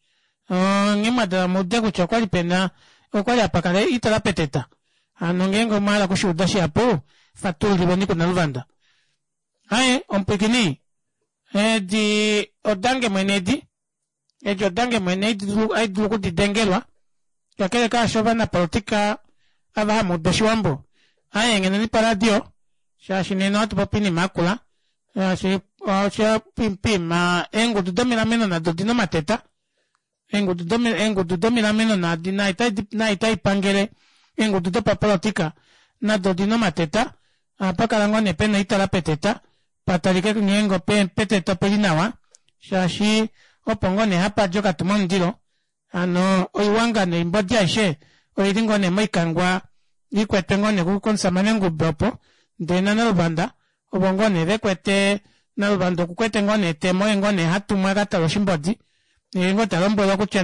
nghee mwadalwa muude kutya okwali pena okwali hapakala oitala peteta hano ngeenge omwahala okushuuda shihapu fatululilweni ku naluvanda aaye omupwiikini edi odange mwene edi edi odange mwene ohaidulu okudidengelwa kakele kaasho ovanapolitika ava hamuudu oshiwambo aaye engheneni poradio shaashi nena ohatupopi oinima yakula shaashi poima eengudu domilameno nado odina omateta eengudu domilameno naadi taipangele eengudu dopapolitika nado odina omateta ohapakala ngoo nee pena oitala peteta patalike ngeenge peteta opeli nawa shaashi opo ngoo nee hapadi okatumwa mundilo hano oiwanga noimbodi aishe oili ngoo nee moikangwa ikwetwe ngoo nee komushamane ngube opo ndee na naluvanda ovo ngoo nee vekwete naluvanda okukwete ngoo nee etemo oye ngoo nee hatumwa akatale oshimbodi yee ngoo talombwelwa kutya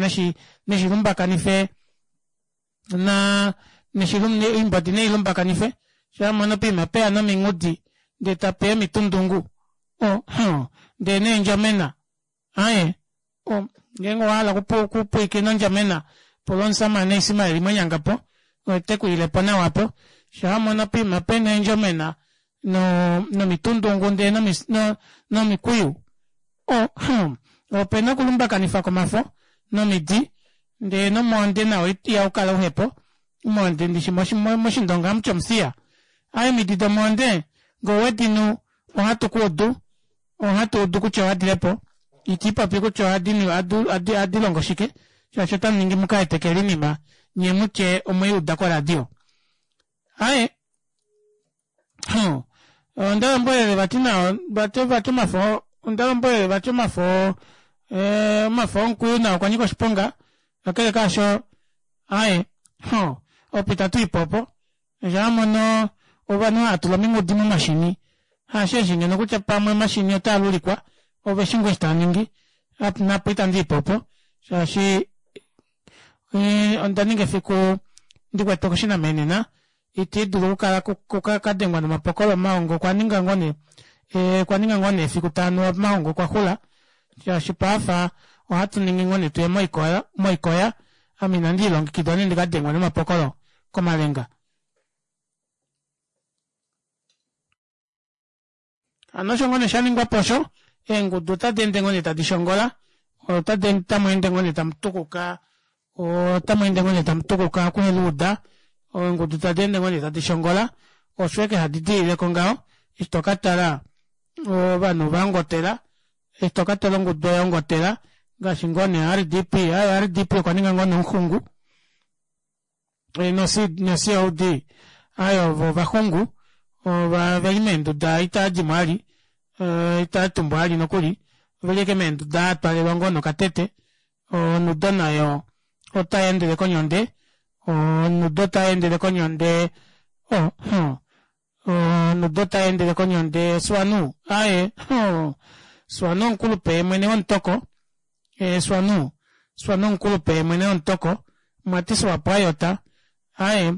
neshilumbakanife naa oimbodi neilumbakanife shaamona poima peya nominghudi ndee tapeya omitundungu ndee neendjamena aaye ngeenge owahala okupwiikina ondjamena pula omushamane ismael mwanyangapo Otekuilepo nawa po shaamona poima pena eendjomena no nomitundungu ndee nomikwiyu oh hmm opena okulumbakanifwa komafo nomidi ndee nomwoonde nao ihaukala uhepo omwoonde ndishi moshindonga ohamuti omuthiya aaye omidi domwoonde ngee owedinu ohatu kuudu ohatuudu kutya owadilepo itiipopi kutya ohadilongo shike shaashi otamuningi mukaetekele oinima nyee mutye omweyuuda koradio. Aaye hmm ondalombwelele vati nao vati vati omafo ondalombwelele vati omafo ee omafo omukwiyu nao okwanyika oshiponga kakele kaasho aaye ho opo itatuyipo opo shaamono ovanhu haatula ominghudi momashini hasheeshi ngeno kutya pamwe omashini otaalulikwa oveshi ngoo eshi taaningi naapo itandiipo opo shaashi ondaninga efiku ndikwete koshinamenena itiidulu okukala kadengwa nomapokolo omaongo okwaninga ngoo nee okwaninga ngoo nee efiku taanuwa omaongo okwaxula shaashi paife ohatuningi ngoo nee tuye moikoya moikoya ame inandiilongekida nee ndikadengwe nomapokolo komalenga. Hano osho ngoo nee shaningwapo osho eengudu otadi ende ngoo nee tadi shongola otamu ngoo nee tamutukuka otamu ngoo nee tamutukuka okuheluuda eengudu tadi ende ngoo nee tadi shongola osho ashike hadi diilileko ngaho eshi tokatala ovanhu ovaongotela eshi tokatala ongudu oyaongotela ngaashi ngoo nee R D P aaye R D P okwaninga ngoo nee omuxungu no C O D aaye ovo ovaxungu oveli meenduda itaadimo vali itaatumbwa vali nokuli oveli ashike meenduda aatwalelwa ngoo nokatete onudo nayo otayeendele konyonde onudo otayeendele konyonde oh hmm onudo otayeendele konyonde swanu aaye swanu omukulupe yemwene womutoko ee swanu swanu omukulupe yemwene womutoko mwati swapo ayota aaye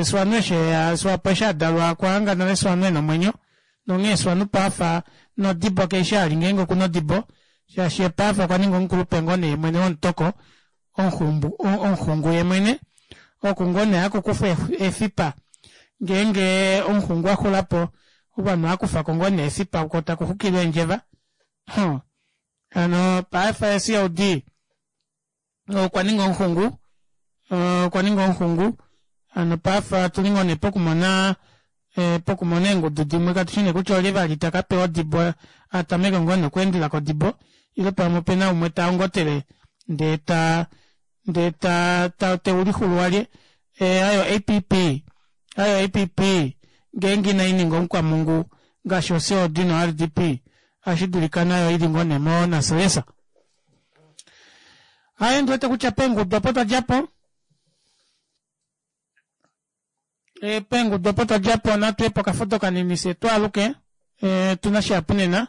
swanu eshi eya swapo eshi adalwa okwahanga nale swanu ena omwenyo nonghee swanu paife nodibo keishi ali ngeenge okuna odibo shaashi yee paife okwaninga omukulupe ngoo nee mwene womutoko omuxungu yemwene oku ngoo nee hakukufwa efipa ngeenge omuxungu axulapo ovanhu ohaakufako ngoo nee efipa koo takuxukilwa eendjeva huh hano paife C O D okwaninga omuxungu okwaninga omuxungu hano paife otuli ngoo nee pokumona pokumona eengudu dimwe katushi nee kutya olye vali takapewa odibo atameke ngoo nee okweendela kodibo ile pamwe opena umwe taongotele ndee ta ndee ta teulixulu walye ayo A P P ayo A P P ngeenge inaininga omukwamungu ngaashi o C O D no R D P ohashidulika nayo ili ngoo nee monaselesa. Aaye ndiwete kutya peengudu opo twadjapo peengudu opo twadjapo natuye pokafudo kanini fyee twaaluke otuna shihapu nena.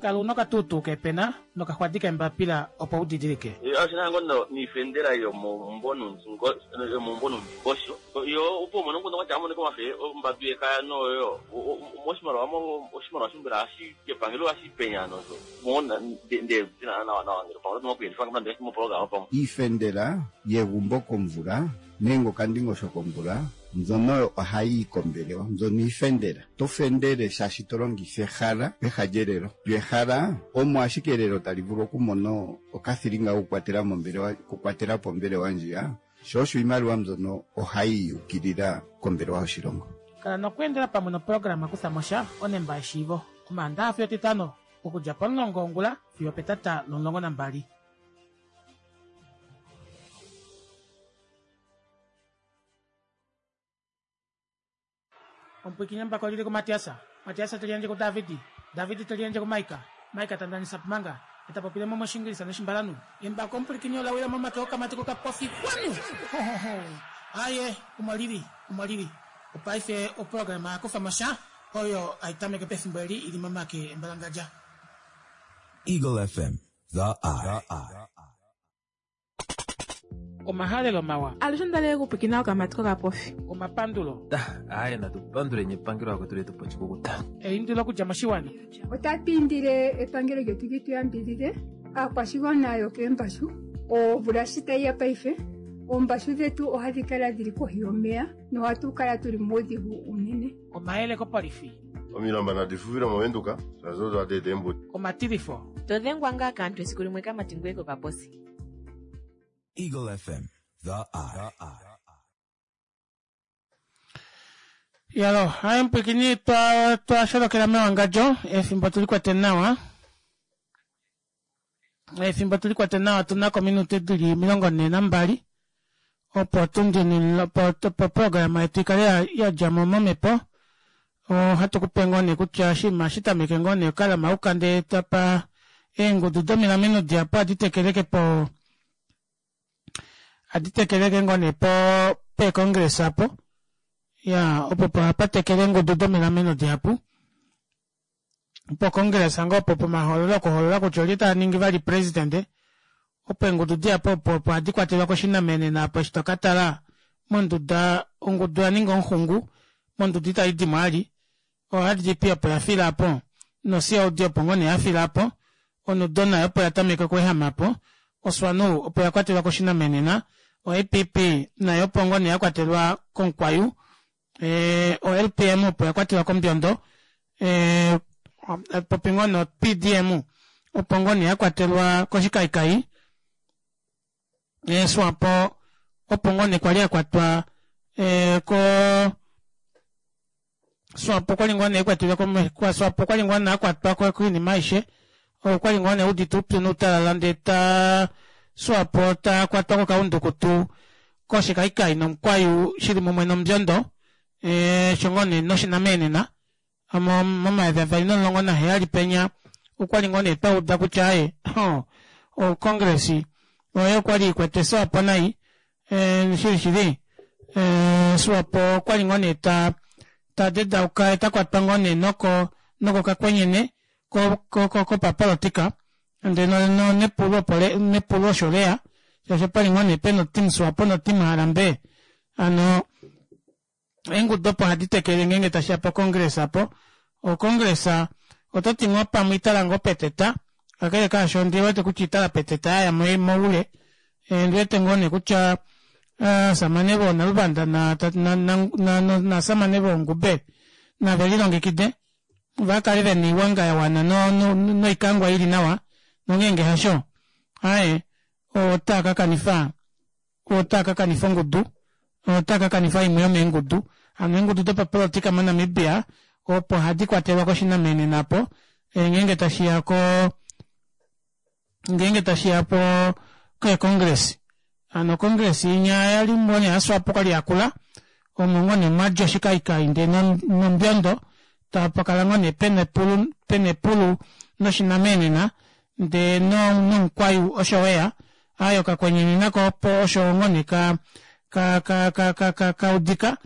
Kala una okatuutuu keepena nokaxwadi keembapila opo udidilike. Oshina ngoo niifendela yomomumbo nomundingosho yo opo umone nguno kwatya amoneka omafe ombadu yekaya noyo moshimaliwa oshimaliwa shombela hashi epangelo hashi penya nozo mona nde tina nawa nawa ngelo pamwe tuma kuyelifa ngalo moprograma pamwe iifendela yegumbo komvula nenge okandingosho komvula mbyono ohayi kombelewa mbyono iifendela to fendele shaashi to longitha ehala peha lyelelo lyo ehala omo ashike elelo tali vulu okumona okathilinga kokukwatela mombelewa okukwatela po ombelewa ndjiya sho osho iimaliwa mbyono ohayi yukilila kombelewa yoshilongo. Kala nokweendela pamwe noprograma Kutha Mosha onemba yeshiivo omaandaxa fiyo etitano okudja pomulongo wongula fiyo petata lomulongo nambali. Omupwikinye mbako lili kuMatiasa, Matiasa teliandje kuDavidi, Davidi teliandje kuMaika, Maika tandanisa pumanga, etapopile mo moshingilisa noshimbalanu. Embako omupwikinye olawila momake okamati kokapofi kwanu! Hohoho! Aye, omo lili, omo lili. Opaife oprograma yakufa mosha oyo aitameke pefimbo eli ili momake embalangadja. Eagle F M, the eye. Omahalelo mawa. Alushe ondalele okupwiikina okamati kokapofi. Omapandulo. Aaye natupanduleni epangelo lakwetu letupa oshikukuta. Eindilo okudja moshiwana. Otatu indile epangelo lyetu li tu yambidhidhe aakwashigwana yokeembashu omvula shi tayi ya paife oombashu dhetu ohadhi kala dhili kohi yomeya nohatu kala tuli muudhigu unene. Omayele kopolifi. Omilamba nadi fufile movenduka shaashi odo hadi eta eembuto. Omatilifo. Todhengwa ngaa kaantu esiku limwe kamati ngoye kokaposi. Eagle F M, The Eye. Yalo, hayi mpwikini twa twasholokela mewangadjo efimbo tulikwete nawa. Efimbo tulikwete nawa tuna kominute dili omilongo nhee nambali opo tundini opo opo programa yetu ikale yadjamo momhepo. Ohatu kupe ngoo nee kutya oshinima shitameke ngoo nee kalama ukande tapa eengudu domilameno dihapu ohadi tekeleke po ohadi tekeleke ngoo nee po peecongress apo ya opo hapatekele eengudu domilameno dihapu pocongress ngoo opo pomahoololo okuhoolola kutya olye taningi vali president opo eengudu dihapu opo opo hadi kwatelwa koshinamenena apo eshi tokatala monduda ongudu yaninga omuxungu monduda itaidimo ali o R D P opo yafila apo no C O D opo ngoo nee yafila apo onudo nayo opo yatameka okweehama apo oSwanu opo yakwatelwa koshinamenena o A P P nayo opo ngoo nee yakwatelwa komukwayu ee o L P M opo yakwatelwa kombyondo ee popi ngoo no P D M opo ngoo nee yakwatelwa koshikaikai ee Swapo opo ngoo nee kwali yakwatwa ee ko Swapo okwali ngoo nee ekwatelwa kwa Swapo okwali ngoo nee akwatwa koinima aishe okwali ngoo nee udite upyu noutalala ndee ta Swapo takwatwa kokaundukutu koshikaikai nomukwayu shili mumwe nombyondo ee sho ngoo nee noshinamenena momayovi avali nomulongo naheyali penya okwali ngoo nee twauda kutya aaye o congress oyo kwali ikwete Swapo nai ee shili shili ee Swapo okwali ngoo nee ta tadedauka takwatwa ngoo nee noko noko kakwenyene ko ko kopapolitika ndee no nepulo opo nepulo osho leya shaashi opali ngoo nee pena oteam Swapo no team Harambe ano eengudu opo hadi tekele ngeenge tashiya po congress apo o congress ototi ngoo pamwe itala ngoo peteta kakele kaasho ondiwete kutya itala peteta yaya moule ndiwete ngoo nee kutya aasamane voonaluvanda na na na naasamane voongube nave lilongekide vakale vena oiwanga yawana noikangwa ili nawa nongeenge hasho aaye otaa kakanifa otaa kakanifa ongudu otaa kakanifa imwe yomeengudu hano eengudu dopapolitika moNamibia opo hadi kwatelwa koshinamenena apo ngeenge tashiya ko ngeenge tashiya po keecongress hano congress inya yali ngoo yaSwapo kwali yakula omo ngoo nee mwadja oshikaikai ndee nombyondo tapakala ngoo nee pena epulu pena epulu noshinamenena ndee nomukwayu osho weya aaye okakwenyene nako opo osho ngoo nee ka ka ka ka ka kaudika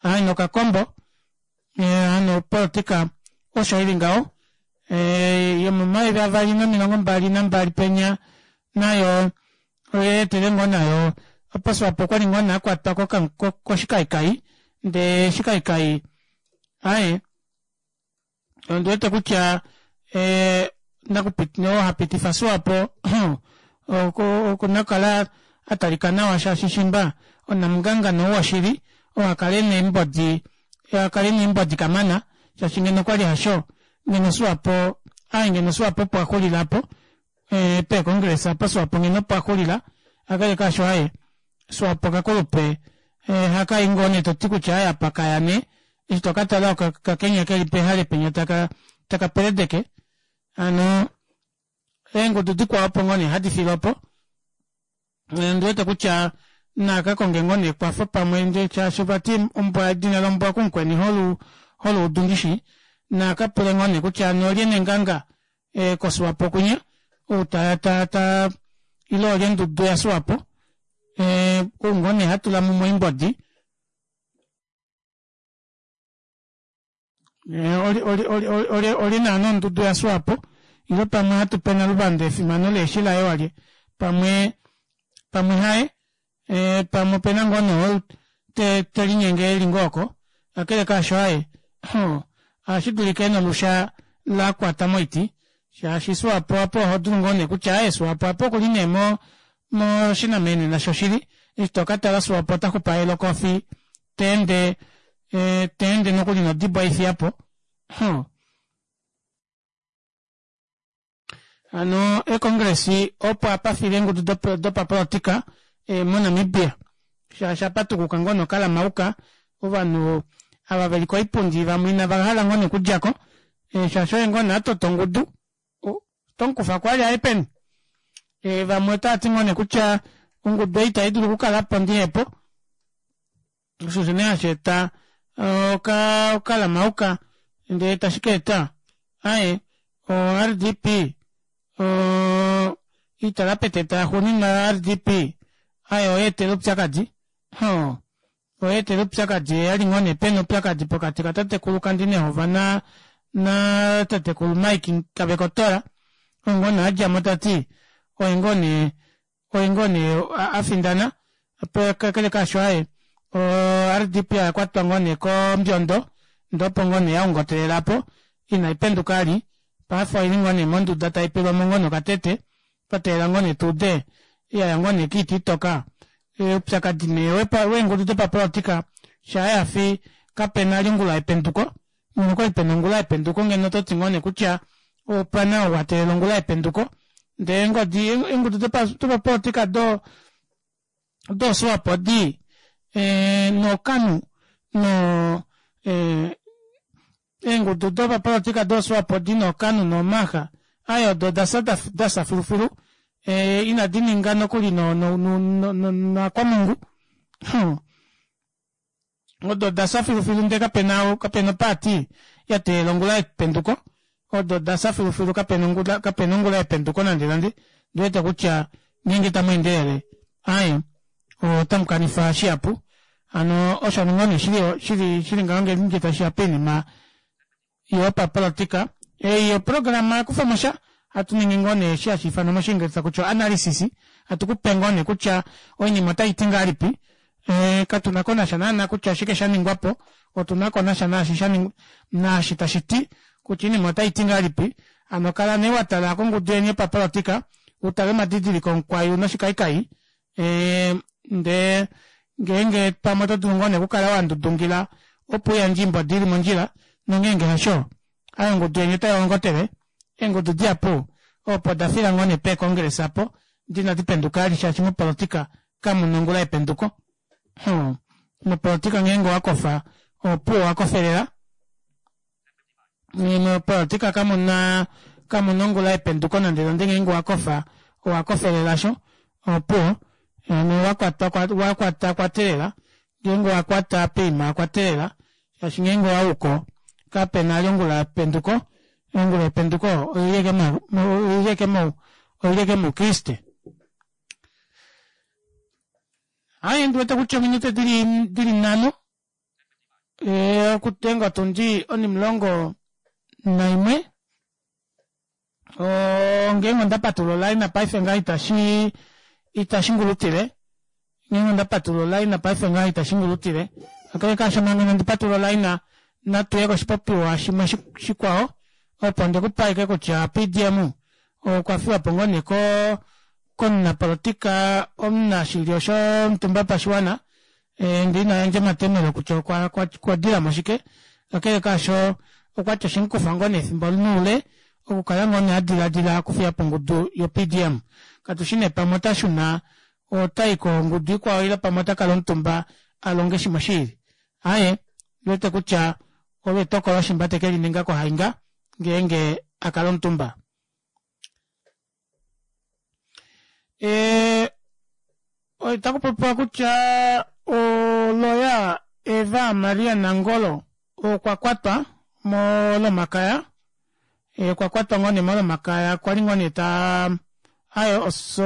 aaye nokakombo hano opolitika osho ili ngaho ee yomomayovi avali nomilongo mbali nambali penya nayo oyeetele ngoo nayo opo Swapo okwali ngoo nee akwatwa koshikaikai ndee shikaikai aaye ondiwete kutya ee nakupit oo hapitifa Swapo okuna okukala atalika nawa shaashi shimba onamungangano woshili oo akale neembodi akale neembodi kamana shaashi ngeno okwali hasho ngeno Swapo aaye ngeno Swapo opo axulila apo ee peecongress apo Swapo ngeno opo axulila akale kaasho aaye Swapo kakulupe ee hakai ngoo nee toti kutya aaye apa kaya nee eshi tokatala okakenya keli pehale penya taka taka peledeke hano eengudu dikwao opo ngoo nee hadi fiile opo ondiwete kutya nakakonge ngoo nee ekwafo pamwe ndee shaashi vati ombwa edina lombwa kumukweni holu holuudu ndishi nakapule ngoo nee kutya hano olye nenganga ee koSwapo kunya ou ta ta ta ile olye ndudu yaSwapo ee ou ngoo nee hatula mumwe oimbodi oli oli oli oli oli naana ondudu yaSwapo ile pamwe hatu pe Naluvanda efimano leeshi laye walye pamwe Pamwe haye e, pamwe opena ngoo nee te, te linyenge eli ngoo oko kakele kaasho aaye ohashi dulika ena olusha lakwata moiti shaashi Swapo apo oho dulu ngoo nee kutya aaye Swapo apo okuli nee mo moshinamenena shoshili eshi tokatala Swapo ota xupaele okofi teende e, teende nokuli nodibo eifiyapo. Hano econgress opo apafile eengudu dopapolitika e, moNamibia shaashi apatukuka ngoo nokalamauka ovanhu ava veli koipundi vamwe inava hala ngoo nee okudjako e, shaashi oye ngoo nee atota ongudu otomukufa kwali aye peni e, vamwe otavati ngoo nee kutya ongudu ei itaidulu okukalapo ndihepo osho osho nee hashi eta oka okalamauka ndee tashi kaeta aaye o R D P oo italapeteta yaxuuninwa ya R D P aaye oyaetele oupyakadi hoo oyaetele oupyakadi oyali ngoo nee pena oupyakadi pokati katatekulu Kandi Nehova na na tatekulu Mike Kavekotora oo ngoo nee adjamo tati oye ngoo nee oye ngoo nee afindana kakele kaasho aaye o R D P oyakwatwa ngoo nee kombyondo ndee opo ngoo nee yaongotelelapo ina ipenduka vali paife oili ngoo nee monduda taipelwamo ngoo nee okatete twateelela ngoo nee tuude yaya ngoo nee kiiti itoka oupyakadi nee weengudu dopapolitika shaayafi kapena vali ongula yependuko ngeno okwali pena ongula yependuko ngeno ototi ngoo nee kutya opena ou ateelela ongula yependuko ndee eengodi eengudu dopapolitika do do Swapo odi ee nokanu noo ee eengudu dopapolitika do Swapo odi nokanu nomaxa aaye odo odafya dafya filufilu ee ina dininga nokuli no no no noakwamungu odo odafya filufilu ndee kapena kapena oparty yateelela ongula yependuko odo odafya filufilu kapena ongula kapena ongula yependuko nande nande ondiwete kutya ngeenge tamweendelele aaye otamukanifa shihapu hano osho ngoo nee shili shili ngaho ngenge tashiya poinima yopapolitika ei oprograma yakufamosha hatu ningi ngoo nee eshi hashi ifanwa moshingelesa kutya analysis hatu kupe ngoo nee kutya oinima otaiti ngahelipi e, katuna konasha naana kutya oshike shaningwapo otuna konasha naashi shaningwa naashi tashiti kutya oinima otaiti ngahelipi hano kala nee watala kongudu yeni yopapolitika utale omadidiliko omukwayu noshikaikai e, ndee ngeenge pamwe oto dulu ngoo nee okukala wandudungila opo uyandje oimbodi ili mondjila nongeenge hasho aaye ongudu yeni otayoongotele eengudu dihapu opo dafila ngoo nee peecongress apo dina dipenduka vali shaashi mopolitika kamuna ongula yependuko hmm. Mopolitika ngeenge owakofa opuwo owakofelela mopolitika kamuna kamuna ongula yependuko nande nande ngeenge owakofa owakofelela sho opuwo hano wakwata wakwata kwatelela ngeenge owakwata poima kwatelela shaashi ngeenge owauko kapena vali ongula yependuko ongula yependuko oili oili ashike moukriste. Aaye ndiwete kutya ominute dili dili nhano e, okudenga otundi onimulongo naimwe ngeenge onda patulula olaina paife ngaha itashi itashi ngulutile ngeenge onda patulula olaina paife ngaha itashi ngulutile kakele kaasho manga inandi patulula olaina natuye koshipopiwa shimwe shikwao opo ndikupe ashike kutya P D M okwa fiwapo ngoo nee ko komunapolitika omunashilyo shomutumba wopashiwana e, ndee ina yandja omatomelo kutya okwa okwa dilamo shike kakele kaasho okwati oshemukufa ngoo nee efimbo noule okukala ngoo nee adilaadila okufiyapo ongudu yo P D M katushi nee pamwe otashuna otai kongudu ikwao ile pamwe otakala omutumba alonge shimwe shiili aaye ndiwete kutya olo etokolo shimba teke lininga kohainga ngeenge akala omutumba. E, otakupopiwa kutya oloya Eva Maria Nangolo okwa kwatwa molomakaya e, okwa kwatwa ngoo nee molomakaya kwali ngoo nee ta aye oso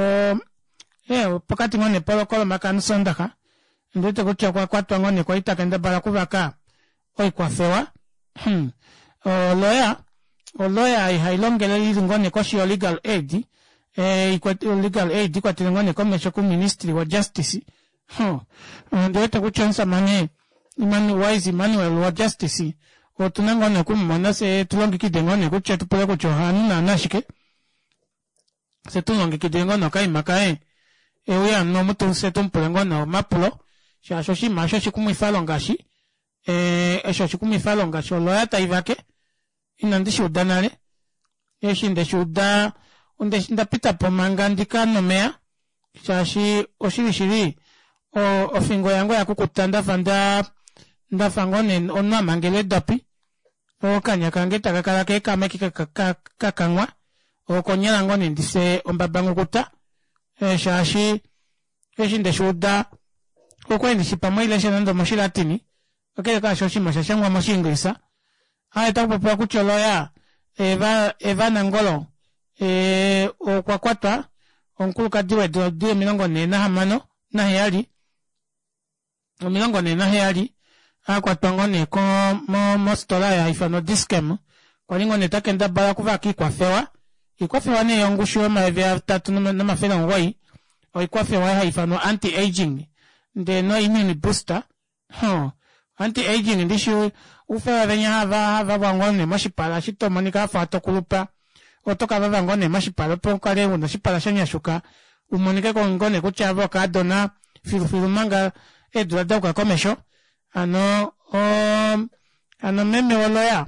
e, pokati ngoo nee kolomakaya nosondaxa ndiwete kutya okwa kwatwa ngoo nee kwali takendabala okuvaka oikwafewa hmm. Oloya oloya ihailongele ili ngoo nee koshi yo legal aid Eh, legal aid ikwatele ngoo nee komesho kuministry wa justice. Ondi wete kutya omusamane Wise Immanuel wa justice otuna ngoo nee okumumona fyee tulongekide ngoo nee kutya tupule kutya ohanu naana shike fye tumulongekidile ngoo nee okaima kaye euye hano omu fye tumupule ngoo nee omapulo shaashi oshinima aasho oshikumwifalonga eshi eshi oshikumwifalonga sholoya taivake ina ndishuuda nale eshi ndeshuuda ondapitapo manga ndikanwe omeva shaashi oshili shili ofingo yange oyakukuta ndafa ndaa ndafa ngoo nee omunhu amangelwa eedopi okanya kange takakala kaekama ashike kakanghwa okonyala ngoo nee ndifye ombabanghukuta shaashi eshi ndeshuuda okwali ndishi pamwe hailesha nande omoshilatini kakele kaasho oshinima oshashangwa moshiingilisa aaye otakupopiwa kutya oloya Eva Eva Nangolo okwa kwatwa omukulukadi weedula dili omilongo nhee nahamano naheyali omilongo nhee naheyali akwatwa ngoo nee mofitola oyo haifanwa Dischem kwali ngoo nee takendabala okuvaka oikwafewa oikwafewa nee yongushu yomayovi atatu nomafele omugoyi oikwafewa haifanwa anti ageing ndee no immune booster hoo anti ageing ndishi oufewa venya havavavwa ngoo nee moshipala eshi tomonika wafa tokulupa otokavava ngoo nee moshipala opo ukale una oshipala shanyashuka umonike ngoo nee kutya ove okaadona filufilu omanga eedula dayuka komesho hano oo hano meme woloya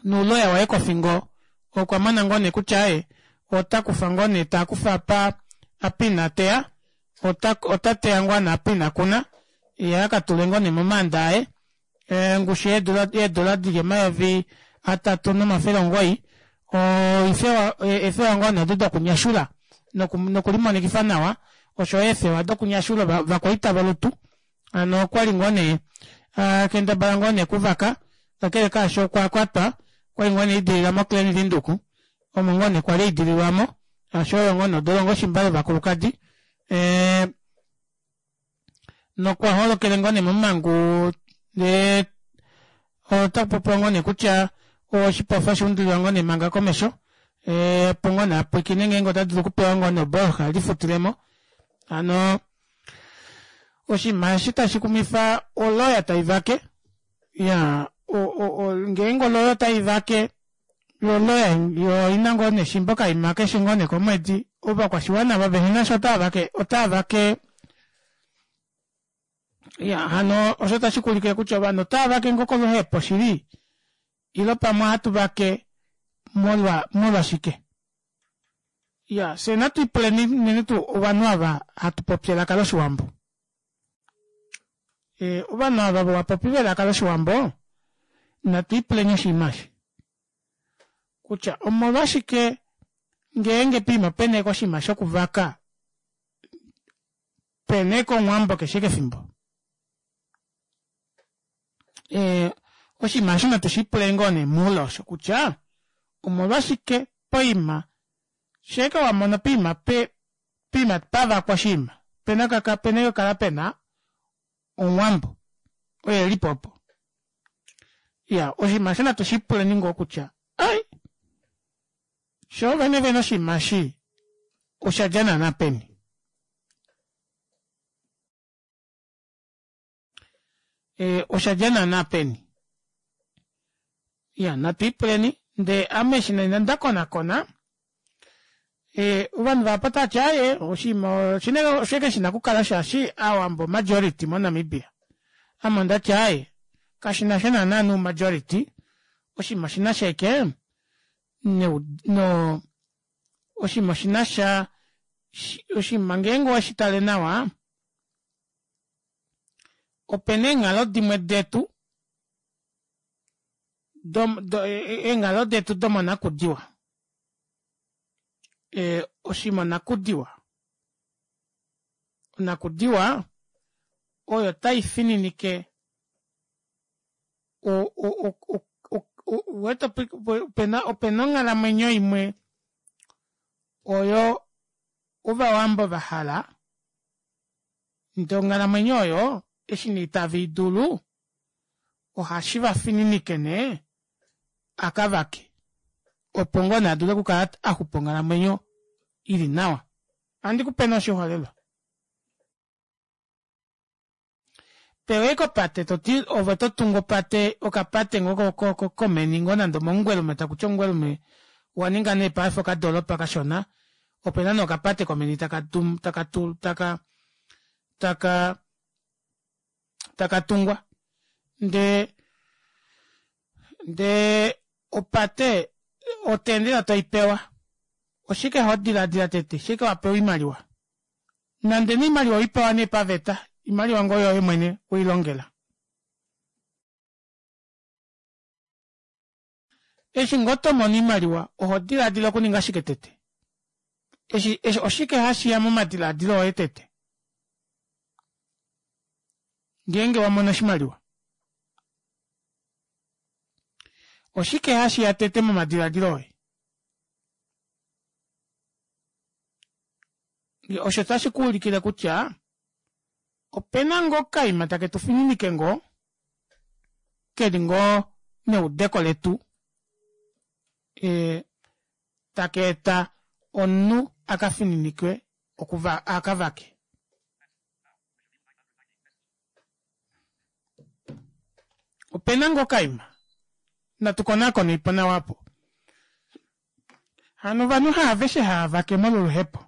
nouloya waye kofingo okwamona ngoo nee kutya aaye otakufa ngoo nee takufa apa apa ina teya otateya ngoo nee apa inakuna yee akatule ngoo nee momaanda aye ongushu yeedola dili omayovi atatu nomafele omugoyi eefewa ngoo nee odo dokunyashula nokulimonikifa nawa oshoyo eefewa dokunyashula ovakwaita volutu hano okwali ngoo nee akendabala ngoo nee okuvaka kakele kaasho okwakwatwa okwali ngoo nee aidilila mo Klein Windhoek omo ngoo nee kwali aidililwamo shaashi oyo ngoo nee odolongo shimba yovakulukadi nokwa holokele ngoo nee momangu ndee otakupopiwa ngoo nee kutya oshipofa oshaundulilwa ngoo nee manga komesho opo ngoo nee apwiikine ngeenge otadulu okupewa ngoo nee obooloha elifutilemo hano oshinima eshi tashikumwifa oloya taivake iyaa ngeenge oloya otaivake yoo oloya oina ngoo nee shimba okaima keshe ngoo nee komwedi ovakwashiwana ava vehena sha otavake otavake iya hano osho otashikulike kutya ovanhu otavake ngoo koluhepo shili ile pamwe ohatuvake molwa molwashike iya fyee natwiipuleni unene tuu ovanhu ava hatupopi elaka loshiwambo ovanhu ava vovapopi velaka loshiwambo natwiipuleni oshinima eshi kutya omolwashike ngeenge poima pena ashike oshinima shokuvaka pena ashike omuwambo keshe ashike efimbo oshinima aasho natu shiipule ngoo nee moule osho kutya omolwashike poima shaike wamono poima poima pavakwa oshinima opena ashike okukala pena omuwambo oye elipo opo iyaa oshinima aasho natu shiipuleni ngoo kutya ai shoovene vene oshinima eshi oshadja naana peni oshadja naana peni iya natwiipuleni ndee ame eshi nee ndakonakona ovanhu vahapu otavati aaye oshinima osho ashike shina okukala shaashi aawambo majority mo namibia ame ondati aaye kashinasha naana nou majority oshinima oshinasha ashike no oshinima oshinasha oshinima ngeenge oweshitale nawa opena eenghalo dimwe detu eenghalo detu domonakudiwa oshinima onakudiwa onakudiwa oyo taifininike uwete opena onghalamwenyo imwe oyo ovawambo vahala ndee onghalamwenyo oyo eshi nee itaveidulu ohashi vafininike nee akavake Opo ngoo nee adule okukala axupa onghalamwenyo ili nawa. Ohandi kupe nee oshiholelwa. Pewa kopate toti ove ototungu opate okapate ngoo komeni ngoo nande omomungwelume takuti omungwelume owaninga nee paife okadooropa kashona opena nee okapate komeni taka taka taka taka takatungwa ndee ndee opate otendela toipewa oshike hodilaadila tete shike wapewa oimaliwa nande nee oimaliwa oweipewa nee paveta oimaliwa ngoo yoye mwene weilongela eshi ngoo tomono oimaliwa oho dilaadila okuninga shike tete eshi eshi oshike hashiya momadilaadilo oye tete ngeenge wamono oshimaliwa oshike hashiya tete momadilaadilo oye osho tashi kuulikile kutya opena ngoo okaima take tufininike ngoo keli ngoo neudeko letu e taka eta omunhu akafininikwe okuva akavake. Opena ngoo okaima natu konakone nawa aapo hano ovanhu haaveshe haavake molwo oluhepo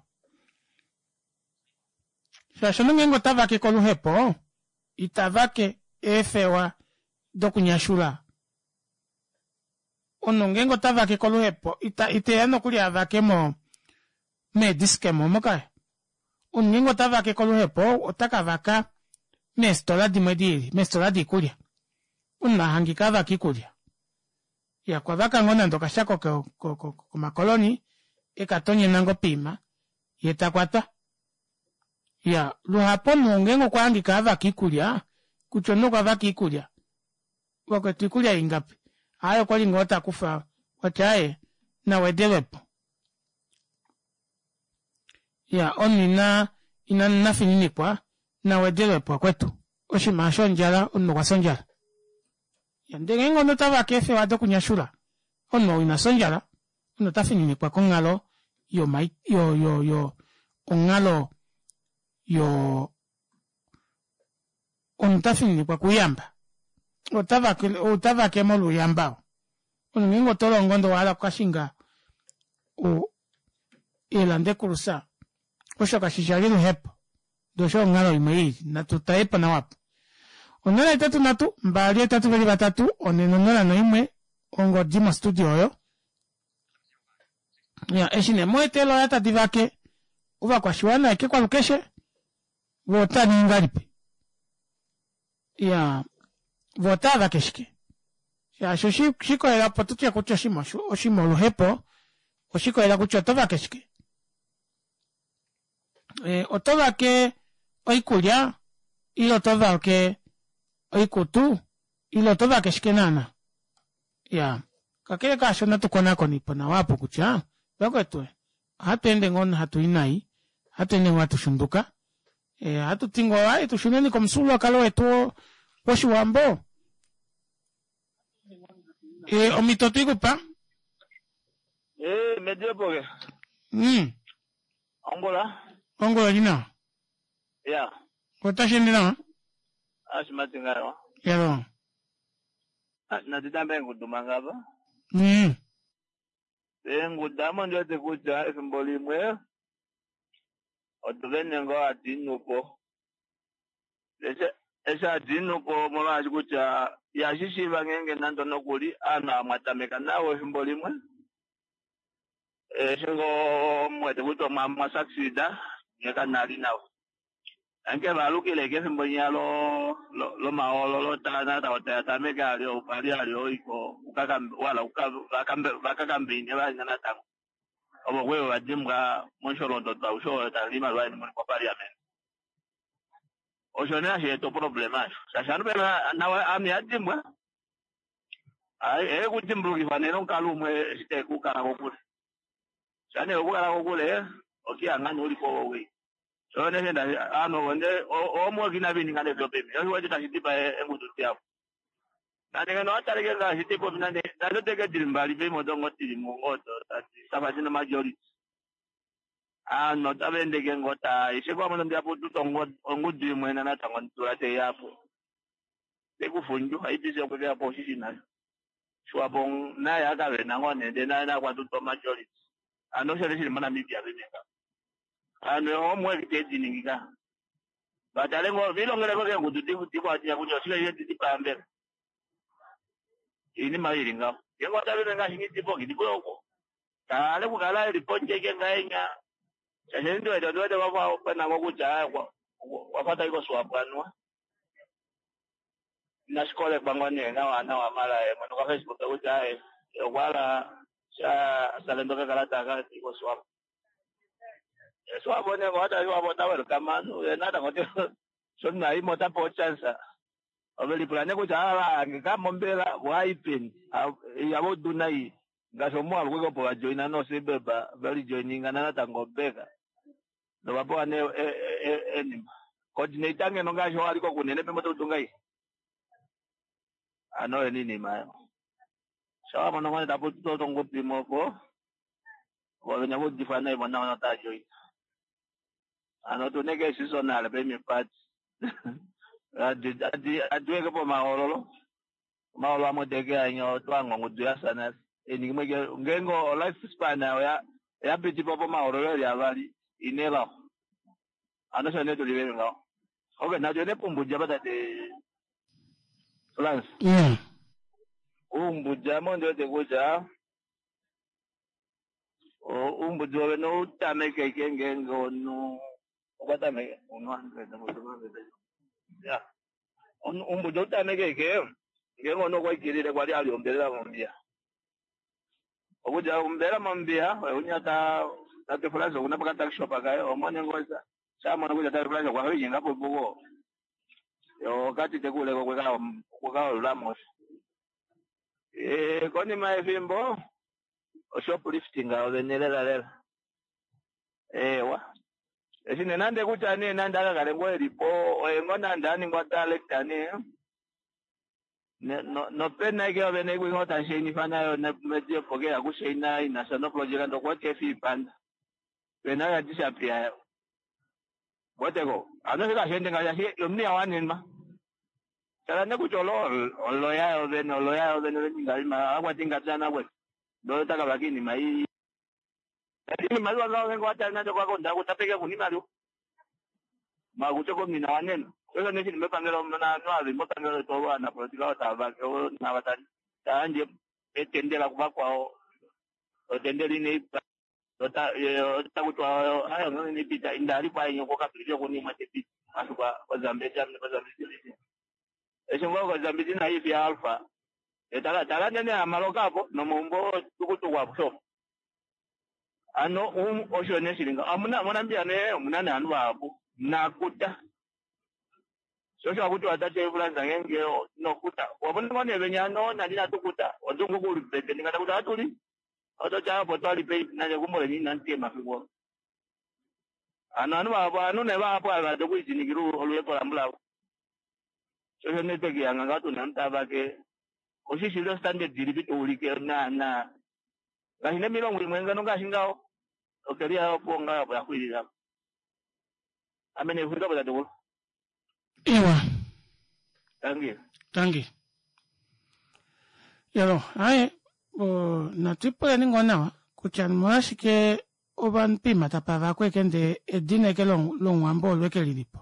shaashi omunhu ngeenge otavake koluhepo itavake eefewa dokunyashula omunhu ngeenge otavake koluhepo ita iteya nokuli avake mo meediskemo omo kaya omunhu ngeenge otavake koluhepo otakavaka meefitola dimwe diili meefitola diikulya omunhu ahangika avaka oikulya iya okwavaka ngoo nande okashako komakoloni ekatonyena ngoo poima yee takwatwa iya luhapu omunhu ngeenge okwahangika avaka oikulya kutya omunhu okwavaka oikulya vakwetu oikulya ingapi aaye okwali ngoo takufa wati aaye nawedelwepo iya omunhu ina ina inafininikwa nawedelwepo vakwetu oshinima aasho ondjala omunhu okwafya ondjala ndee ngeenge omunhu otavake eefewa dokunyashula omunhu ou inafya ondjala omunhu otafininikwa konghalo yoma yo yo yo onghalo yoo omunhu otafininikwa kouyamba otavake otavake molwo ouyamba oo omunhu ngeenge otolongo ndee owahala okukashinga eelande cruiser osho kashishi vali oluhepo ndee osho onghalo imwe iili natu talepo nawa aapo onola hetatu nhatu mbali hetatu veli vatatu onhe nonola noimwe ongodi mo studio oyo iya eshi nee muwete eeloya tadi vake ovakwashiwana ashike kwalukeshe voo otaaningi ngahelipi iyaa voo otaavake shike shaashi oshikolela opo tutye kutya oshinima oshinima oluhepo oshikolela kutya otovake shike e otovake oikulya ile otovake oikutu ile otovake shike naana iyaa kakele kaasho natu konakonipo nawa aapo kutya vakwetu ohatweende ngoo hatui nai ohatweende ngoo hatu shunduka ohatuti ngoo aaye tushuneni komufyuululwakalo wetu woshiwambo e omito twikupa Eh, mediepoke. Mm. Ongula. Ongula oli nawa. Ya. Otashi nawa? Ashimati ngayo. Yalo. Natitambe nguduma ngapa. Mm. Engudamo ndiwete kutya efimbo limwe otuvene ngoo hatiinupo eshi hatiinupo molwaashi kutya ihashishiiva ngeenge nande nokuli aanhu amwatameka nawo efimbo limwe eshi ngoo muwete kutya omwa succeeda nye kanali nawa anke valukile kefimbo linya lomahoololo natango tayatameke ali pali ali oiko wala vakakambeine vali natango ovo kwevo vadimbwa mosholondodo aushe oyo tali imaliwa yeni muli moparliament osho nee hasheeta oproblema asho shaashi ovanhu pena nawe ame ihadimbwa ekudimbulukifa nee nomukalo umwe eshi tekukala kokule sha nee okukala kokule okihangani ulipo wowei so neshenda ovanhu ovo nde omwe kina vininga nevyopemi oshiwete tashi dipa engudu diavo Nande ngeno owataleke ngaashi tepopi nande nande oteke dili mbali peimwe odongo dili mungodo tafa dina majority. Aanhu otava endeke ngoo taa ishe kwamwe ndiyapo tuta ongudu imwe natango ndula teiyapo. Tekufundju I P C okwekeyapo oshishi nayo. Swapo naye akavena ngoo nee ndee naye nakwatuta majority. Ano osho shili moNamibia paife. Aanhu homework tediningi ka. Vatale ngoo vilongeleko keengudu dikwatiya kutya oshike didipambela. Iinima ili ngaho. Ngeenge otavene ngaashi nghidipo nghidipo oko. Tale kukala eli pondje ike ngahenya. Shaashi ndiwete ndiwete wafa pena ngo kutya wafa tayi koSwapo anuwa. Inashikolekwa ngoo nee nawa nawa mala mwene kwa Facebook kutya okwa hala sha salendo kakalata kati koSwapo. Swapo nee ngoo Swapo ota welcome anu natango sho naimo otapewa chance. Ove lipula nee kutya ava kamombela waipeni yavo duna iyi ngaashi omuwalu kweke opo vajoina noosibeba valijoininga natango beka novapewa nee enima coordinator ngeno ngaashi owaliko kunene pembo toutunga iyi ano oyo niinima ayo shawamono ngoo tapu totongudu imwe opo vovene voudifwa naimwe naona otaa joina ano tuneke seasonal pemi party adiweke pomahoololo omahoololo amwe teke anya otwanga ongudu yasa eningimwe ngeenge o life span oya yapitipo pomahoololo eli avali inelao ano osho nee tuli veli ngaho. Okay, natu ne pumbudja patate France. Yeah. Uumbudja mo ndiwete kutya uumbudji wovene outamekeke ngeenge omunhu okwa tameke ya uumbudji outamekeke ngeenge omunhu okwa ikilile kwali ali ombelela mombiya okudja ombelela mombiya unya ta tate France okuna pakatuckshop kaye omone ngoo shamona kutya tate France okwa linyenga po yo okati tekuleko kwekaolulamo osho. Konima yefimbo oshoplifting ovene lela lela ewa eshi nee nande kutya nee nande akakale ngoo elipo oye ngoo nande aningwa director nee nopena ike ovene kwingo tashainifa nayo mediepo ke yakushaina inasha noproject ndokuwete efiipanda pena oya disappear weteko ano shikashende ngaashi omunhu yawanenwa tala ne kutya olo oloya yovene oloya yovene veninga ima akwati ngatsana kwe ndo takavaka iinima iyi iimaliwa ngaho ngenge watali nande kwakonda kutapeke kuna imaliwa makutya komina wanena osho neshili mepangelo noavi mepangelo letu ovanapolitika otavake nava tayandje etendela kuvakwao otendela ineipa otakutwa ayo inepita indali kwaenye kokapilile kunimwe tepita masuka kozambezi kozambezi eshi ngoo kozambezi naifi ya alpha etala tala nene amaloka apo nomaumbo tukutuku apo so ano um osho neshilinga amuna monambia ne omuna neanhu vahapu nakuta shosho akuti watate fulanza ngenge nokuta wabona ngone venya no nali natukuta wadungu kulipete ndingata kuti atuli otocha apo twalipe nanje kumole ni nantie mafiko ano anu vahapu anu ne vahapu avade kuijinikira oluyepo lambulavo shosho netekiyanga ngatu namutavake oshishilo standard ilipi tuulike na na ngaashi nemilongo imwe ngano ngaashi ngaho okeliya opo ngaho apo yaxwilila ame nefulika po tatekulu. Ewa. Tangi. Tangi. Yalo, aye, natwipuleni ngoo nawa kutya molwashike ovanhu poima tapa vakweke ndee edina eke lomuwambo olo eke lilipo.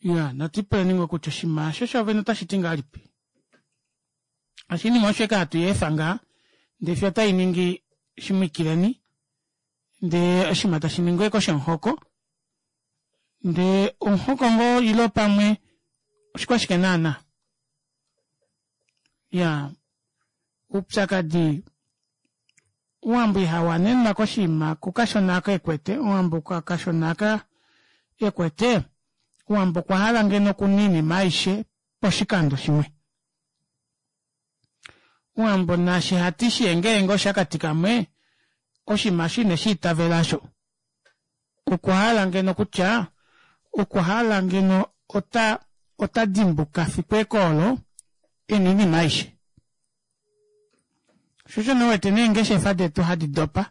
Ya, natwipuleni ngoo kutya oshinima osho shovene otashi ti ngahelipi. Oshinima osho eke hatu yeefa ngaa ndee fiyo otai ningi shimwikileni ndee oshinima tashi ningi eke oshomuhoko ndee omuhoko ngoo ile pamwe oshikwashike naana. Ya, oupyakadi Omuwambo ihawanenwa koshinima kukashona aka ekwete, Omuwambo kashona aka ekwete, Omuwambo okwa hala ngeno okuna oinima aishe poshikando shimwe. Omuwambo naashi hati shiyengeenge oshakati kamwe, oshinima osho ine shiitavela osho. Okwa hala ngeno kutya, okwa hala ngeno ota ota dimbuka fiku eke olo, Ena oinima aishe. Sho osho nee uwete neengeshefa detu hadi dopa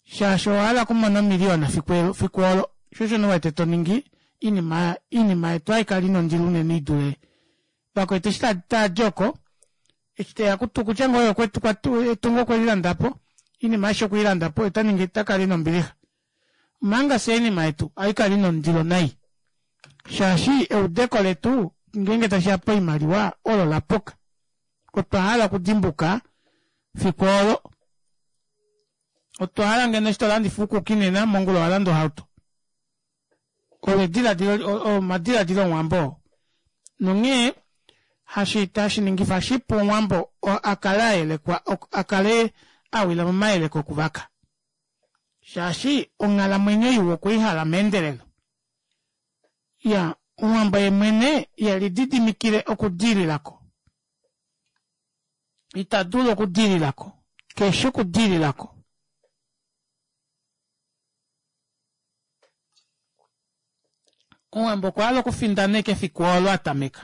shaashi owahala okumona omiliyona fiku olo sho osho nee uwete toningi oinima oinima yetu ohaikala ina ondilo unene idule vakwetu eshi taadi oko eshi teya kutya ngoo etungo okwelilandapo oinima aishe okweilandapo otaningi otakala ena ombilixa omanga fyee oinima yetu ohaikala ina ondilo nai shaashi eudeko letu ngeenge tashiya poimaliwa olo lapuka otwa hala okudimbuka fiku olo otwa hala ngeno eshi tolandifa uukuki nena mongula owalanda ohauto olo edilaadilo omadilaadilo omuwambo oo nonghee hashi hashiningifa shipu omuwambo akale ayelekwa akale awila momayeleko okuvaka shaashi onghalamwenyo iwa okweihala meendelelo iya omuwambo yeemwene ihelididimikile okudiililako ita dulu okudiililako keshi okudiililako omuwambo okwahala okufindana ashike efiku olo atameka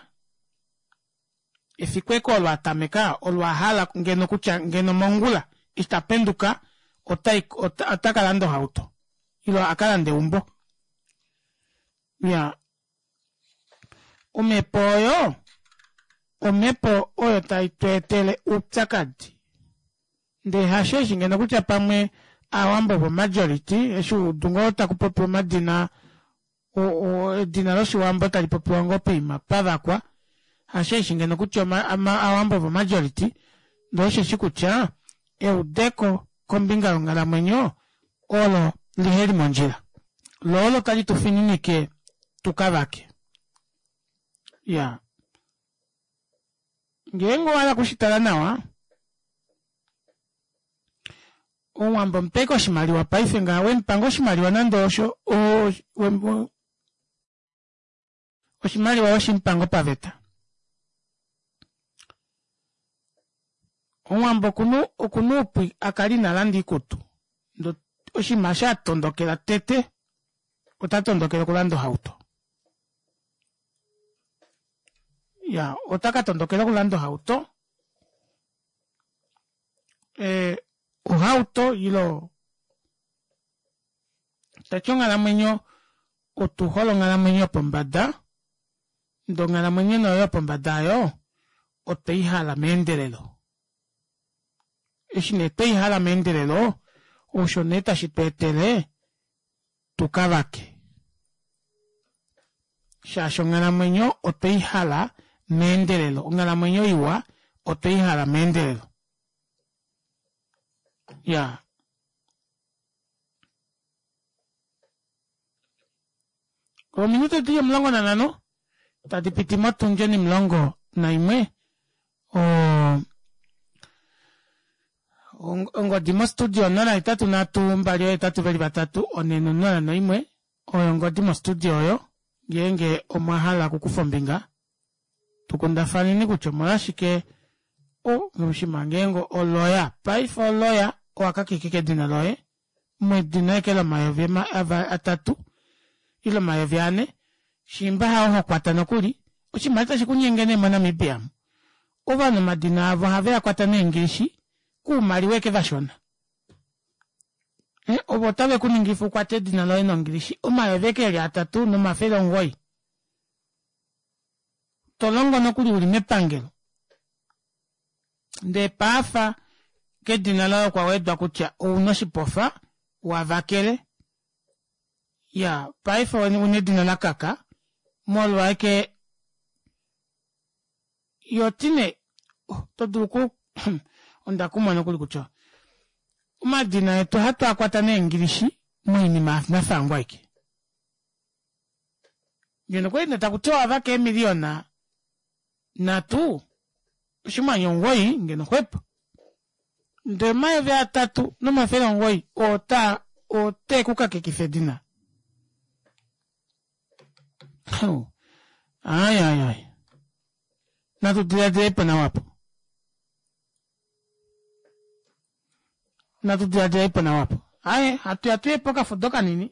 efiku eke olo atameka olo ahala ngeno kutya ngeno mongula eshi tapenduka otai otakalanda ohauto ile akalande eumbo iya omhepo oyo omhepo oyo tai tweetele oupyakadi ndee hasheeshi ngeno kutya pamwe aawambo vo majority eshi udu ngoo takupopiwa omadina edina loshiwambo tali popiwa ngoo poima pavakwa hasheeshi ngeno kutya aawambo vo majority ndee osheshi kutya eudeko kombinga yonghalamwenyo olo liheli mondjila loo olo tali tufininike tukavake iya ngeenge owahala okushitala nawa omuwambo mupeke oshimaliwa paife ngaha wemupanga oshimaliwa nande osho oshimaliwa weshimupanga paveta omuwambo okuna okuna oupu akale ina landa oikutu ndee oshinima eshi atondokela tete ota tondokele okulanda ohauto iya ota katondokela okulanda ohauto ee ohauto ile tati onghalamwenyo otuhole onghalamwenyo yopombada ndee onghalamwenyo nee oyo yopombada aayo otweihala meendelelo eshi nee tweihala meendelelo osho nee tashi tweetele tukavake shaashi onghalamwenyo otweihala meendelelo onghalamwenyo iwa otweihala meendelelo ya ominute dili omulongo nanhano tadi piti motundi onimulongo naimwe ongodi mostudio onola hetatu nhatu mbali ohetatu veli vatatu onhe nonola noimwe oyo ongodi mostudio oyo ngeenge omwa hala okukufa ombinga tukundafaneni kutya omolwashike oshima ngeenge oloya paife oloya owakakekeka edina loye medina eke lomayovi atatu ile omayovi ane shiimba hao hokwata nokuli oshimaliwa tashi kunyenge nee moNamibia ovanhu omadina avo ohave akwata neengilishi kuumaliwa eke vashona ovo otave kuningifa ukwate edina loye nongilishi omayovi eke eli atatu nomafele omugoyi tolongo nokuli uli mepangelo ndee paafa kedina loye okwa wedwa kutya ouna oshipofa wavakele ya paife una edina lakaka molwa eke yotine oto dulu ku onda kumwa nokuli kutya omadina etu ohatu akwata neengilishi moinima nafangwa aike ngeno okwali nee takutiwa owavaka eemiliyona nhatu oshimwanya omugoyi ngeno xwepo ndee omayovi atatu nomafele omugoyi oo otee kukakekifa edina ai ai ai natu dilaadilepo nawa apo natu dilaadilepo nawa apo aye hatuya tuye pokafudo kanini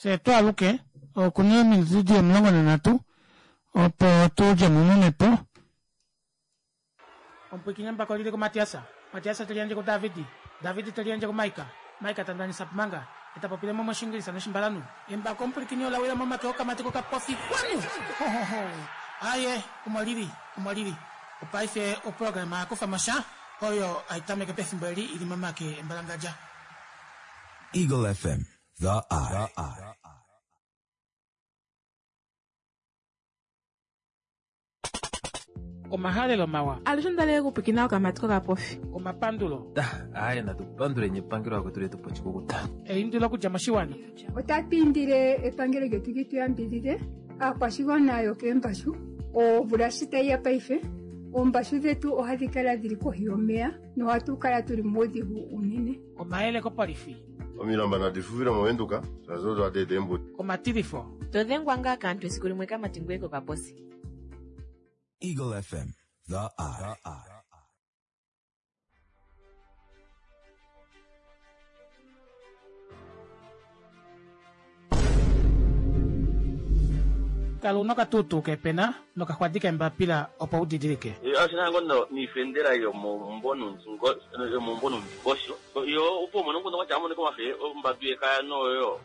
fyee twaaluke okuna ominute dili omulongo nanhatu opo tudjemo momhepo. Omupwiikini embako lili kuMatiasa, Matiasa te liyandje kuDavidi, Davidi te liyandje kuMaika, Maika ta ndanisa Pumanga, eta popile mo mOshingilisa nOshimbalanhu. Embako omupwilikini ola wila momake okamati kokapofi kwanu! Hohoho! Aaye, omo lili, omo lili. Opaife oprograma ya kufa mo sha, oyo hai tameke pefimbo eli i li momake embalangadja. Eagle F M, The Eye. Omahalelo mawa. Alushe ondalele okupwikina okamati kokapofi. Omapandulo. Aye, natu panduleni epangelo lakwetu letu po oshikukuta. Eindilo okudja moshiwana. Otatu indile epangelo lyetu li tu yambidhidhe aakwashigwana yokeembashu omvula shi tayi ya paife oombashu dhetu ohadhi kala dhili kohi yomeya nohatu kala tuli muudhigu unene. Omayele kopolifi. Omilamba nadi fufile movenduka shaashi odo hadi eta eembuto. Omatilifo. To dhengwa ngaa kaantu esiku limwe kamati ngoye kokaposi. Eagle F M, The Eye. Kala una okatuutuu kepena nokaxwadi kembapila opo u didilike. Ashina ngono niifendela yomomumbo yomomumbo nomundingosho yo opo umone nguno kwatya amoneka omafe ombadu yekaya noyo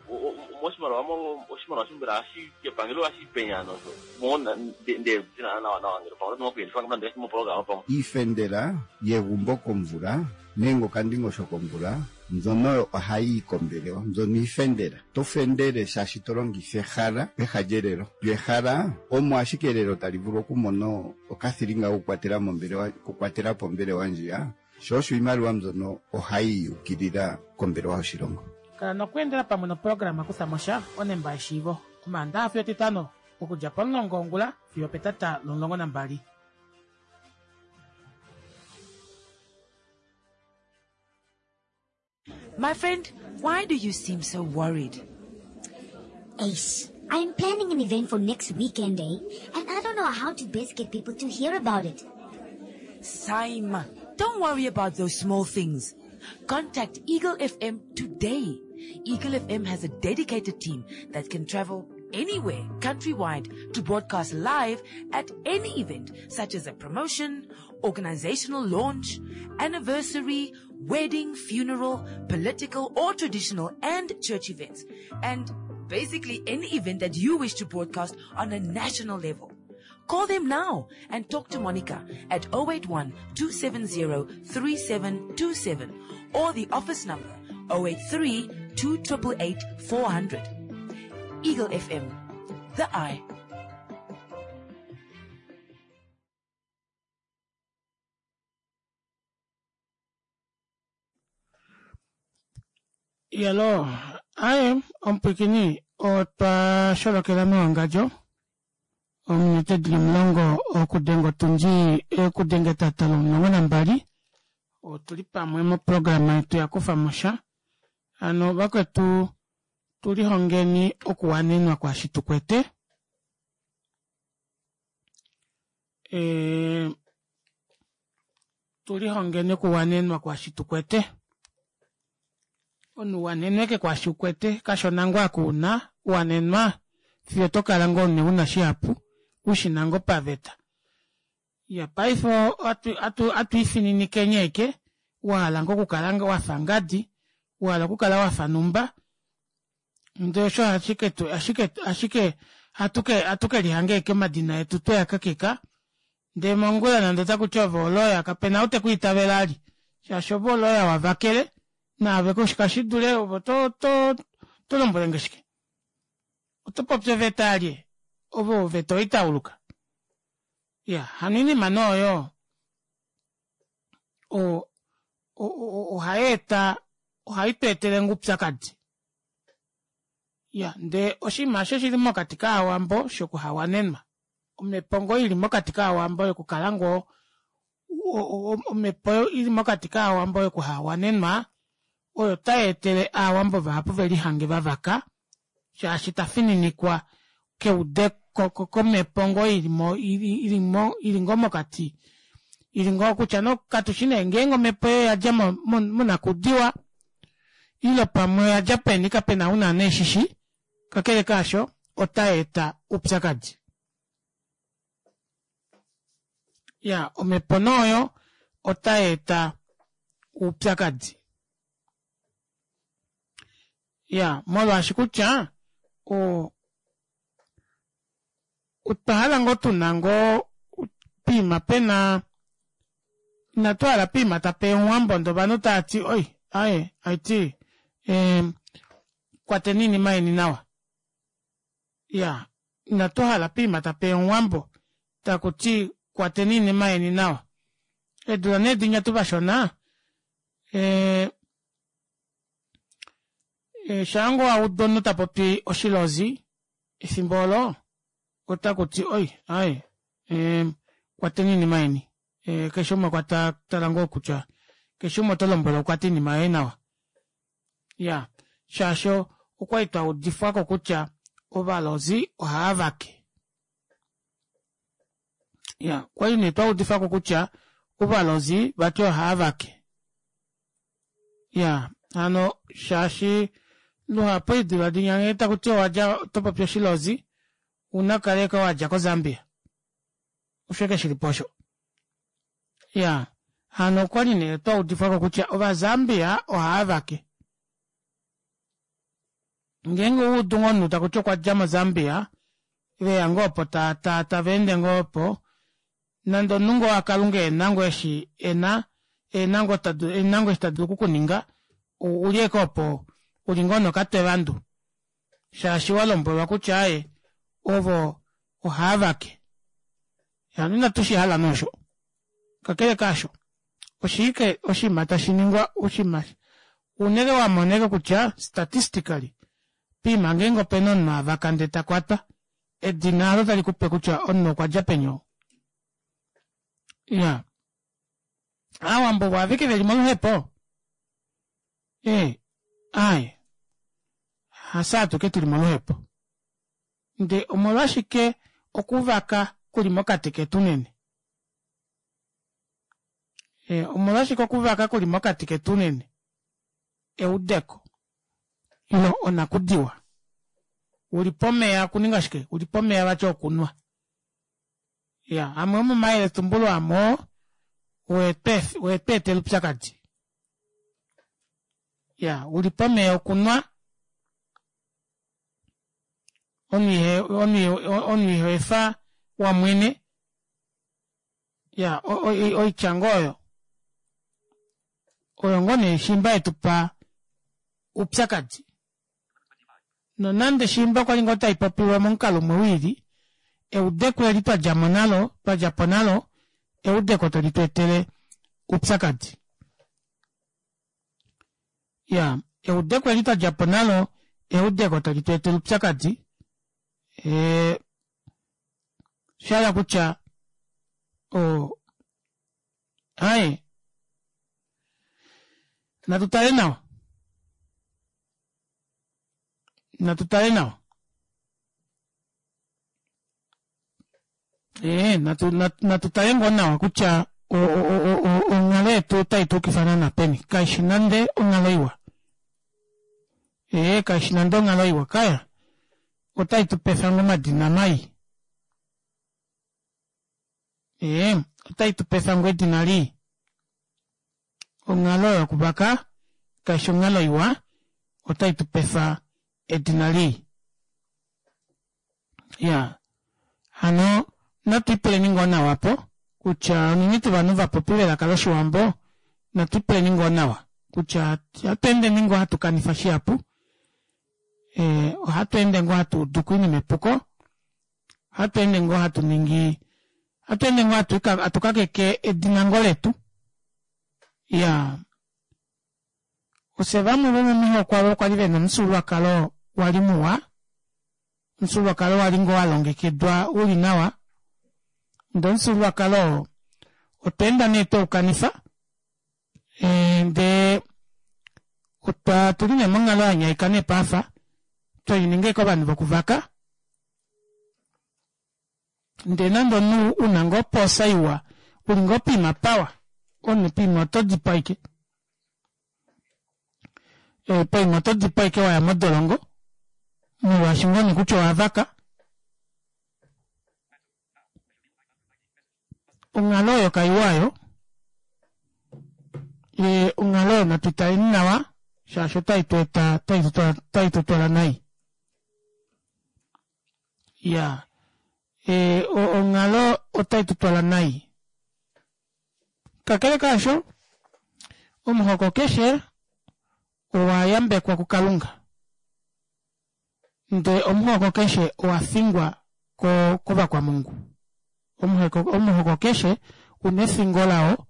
moshimaliwa oshimaliwa shimbela hashi epangelo hashi penya nosho mona nde zina nawa nawa ngelo pamwe nokuyendifa ngamanda moprograma pamwe iifendela yegumbo komvula nenge okandingosho komvula mbyono ohayi yi kombelewa mbyono iifendela to fendele shaashi to longitha ehala peha lyelelo lyo ehala omo ashike elelo tali vulu okumona okathilinga kokukwatela mombelewa okukwatela po ombelewa ndjiya sho osho iimaliwa mbyono ohayi yukilila kombelewa yoshilongo. Kala nokweendela pamwe noprograma kutha mo sha onemba yeshiivo omaandaxa fiyo etitano okudja pomulongo wongula fiyo petata lomulongo nambali. My friend, why do you seem so worried? Ace, I'm planning an event for next weekend, eh? And I don't know how to best get people to hear about it. Saima, don't worry about those small things. Contact Eagle F M today. Eagle F M has a dedicated team that can travel anywhere countrywide to broadcast live at any event, such as a promotion, organizational launch, anniversary, wedding, funeral, political or traditional and church events, and basically any event that you wish to broadcast on a national level. Call them now and talk to Monica at oh eight one, two seven zero, three seven two seven or the office number oh eight three, two triple eight, four hundred. Eagle F M, The Eye. Yelo, aye, omupwikini otwa sholokela mewangadjo ominute dili omulongo okudenga otundi okudenga etata lomulongo nambali otuli pamwe moprograma yetu ya kufa mo sha. Ano vakwetu tulihongeni okuwanenwa kwaashi tukwete. E, tulihongeni okuwanenwa kwaashi tukwete. Omunhu wanenweke kwaashi ukwete kashona ngoo akuuna wanenwa fiyo tokala ngoo ne una shihapu ushina ngoo paveta. Ya paife atu ifininike eke wahala ngoo okukala wafa ngadi wahala okukala wafa numba ndee osho ashike ashike ashike atuke atuke lihange eke omadina yetu tweyakakeka ndee mongula nande otakuti ove oloya kapena ou tekwiitavela ali shaashi ove oloya wavakele naave kashidule ovo to to to lombwelenge shike oto popi oveta alye ove oveta oitauluka. Ya hano oinima nooyo o ohayeeta ohai tu etele ngoo upyakadi. Ya ndee oshinima osho shili mokati kaawambo shokuhawanenwa omhepo ngoo ili mokati kaawambo yokukala ngoo omhepo ili mokati kaawambo yokuhawanenwa oyo tayeetele aawambo vahapu velihange vavaka shaashi tafininikwa keude komhepo ngoo ilimo ilimo ili ngoo mokati ili ngoo kutya no katushi nee ngeenge omhepo oyo yadja monakudiwa ile pamwe yadja peni kapena una neeshishi kakele kaasho otayeeta upyakadi. Ya omhepo nooyo otayeeta oupyakadi. Iyaa molwaashi kutya oo otwahala ngoo tuna ngoo poima pena inatuhala poima tapeya omuwambo ndee ovanhu tavati oi aaye haiti ee kwateni oinima yeni nawa. Iyaa inatuhala poima tapeya omuwambo takuti kwateni oinima yeni nawa. Eedula nee dinya tuvashona ee shaango waudu omunhu tapopi oshilozi efimbo oolo otakuti oi aaye kwateni oinima yeni keshe umwe okwa tala ngoo kutya keshe umwe otolombwelwa ukwate oinima yoye nawa. Iyaa shaashi okwali twaudifwako kutya ovalozi ohaavake. Iya okwali nee twaudifwako kutya ovalozi vati ohaavake. Iyaa hano shaashi luhapu eedula dinya nghee takuti owadja otopopi oshilozi ouna okukala ashike wadja ko zambia osho ashike shilipo osho. Iyaa hano okwali nee twaudifwako kutya ova zambia ohaavake. Ngeenge owaudu ngoo omunhu takuti okwadja mo zambia veya ngoo opo taveende ngoo opo nande omunhu ngoo wakalunga ena ngoo eshi ena ena ngoo eshi tadulu okukuninga ouli ashike opo uli ngoo nokatwe vandu shaashi walombwelwa kutya aaye ovo ohaavake. Hano ina tushihala nee osho. Kakele kaasho oshike oshiima tashiningwa oshiima ouna ashike wamona ashike kutya statistically poima ngeenge opena omunhu avaka ndee takwatwa edina aalo talikupe kutya omunhu okwadja peni ou. Iyaa aawambo ovo aveke veli moluhepo? Ee aaye hafye atuke tuli moluhepo ndee omolwashike okuvaka kuli mokati ketu unene? Omolwashike okuvaka kuli mokati ketu unene? Eudeko ile onakudiwa uli pomeya okuninga shike uli pomeya vati okunwa. Iyaa amwe omomayeletumbulo amwe oo oetweetela oupyakadi. Iyaa uli pomeya okunwa omunhu ihoefa wamwene iyaa oitya ngoo oyo oyo ngoo nee shiimba yetupa oupyakadi. Nonande shiimba okwali ngoo taipopiwa momukalo umwe wiili eudeko eli twadjamo nalo twadjapo nalo eudeko tali tweetele oupyakadi. Iyaa eudeko eli twadjapo nalo eudeko tali tweetele oupyakadi ee oshahala kutya oo aaye natu tale nawa natu tale nawa ee natu natu tale ngoo nawa kutya onghalo yetu ota ituukifa naana peni kaishi nande onghalo iwa. Ee kaishi nande onghalo iwa kaya ota itupefa ngoo omadina mai. Ee ota itupefa ngoo edina lii. Onghalo yokuvaka kaifi onghalo iwa ota itupefa edina lii. Iyaa hano natwiipuleni ngoo nawa aapo kutya unene tuu ovanhu vapopi velaka loshiwambo natwiipuleni ngoo nawa kutya ohatweendeni ngoo hatu kanifa shihapu ee ohatweende ngoo hatuuduko oinima epuko ohatweende ngoo hatuningi ohatweende ngoo hatu kakeke edina ngoo letu. Iyaa ofye vamwe vomomihoko aavo kwali vena omufyuululwakalo wali muwa omufyuululwakalo wali ngoo walongekidwa uli nawa ndee omufyuululwakalo oo otwa enda nee tweukanifa ndee otuli nee monghalo yanyaika nee paife twelininga ashike ovanhu vokuvaka ndee nande omunhu una ngoo opoosa iwa uli ngoo poima pawa omunhu poima oto dipawa ashike poima oto dipawa ashike waya modolongo molwaashi ngoo nee kutya owavaka. Onghalo oyo kaiwa aayo. E, onghalo oyo natu taleni nawa shaashi otai tu eta otai tu twala nai. Ya e, onghalo otai tu twala nai. Kakele kaasho, omuhoko keshe owa yambekwa kuKalunga. Ndee omuhoko keshe owa fingwa kovakwamungu. Omuhoko, omuhoko keshe una efingo lao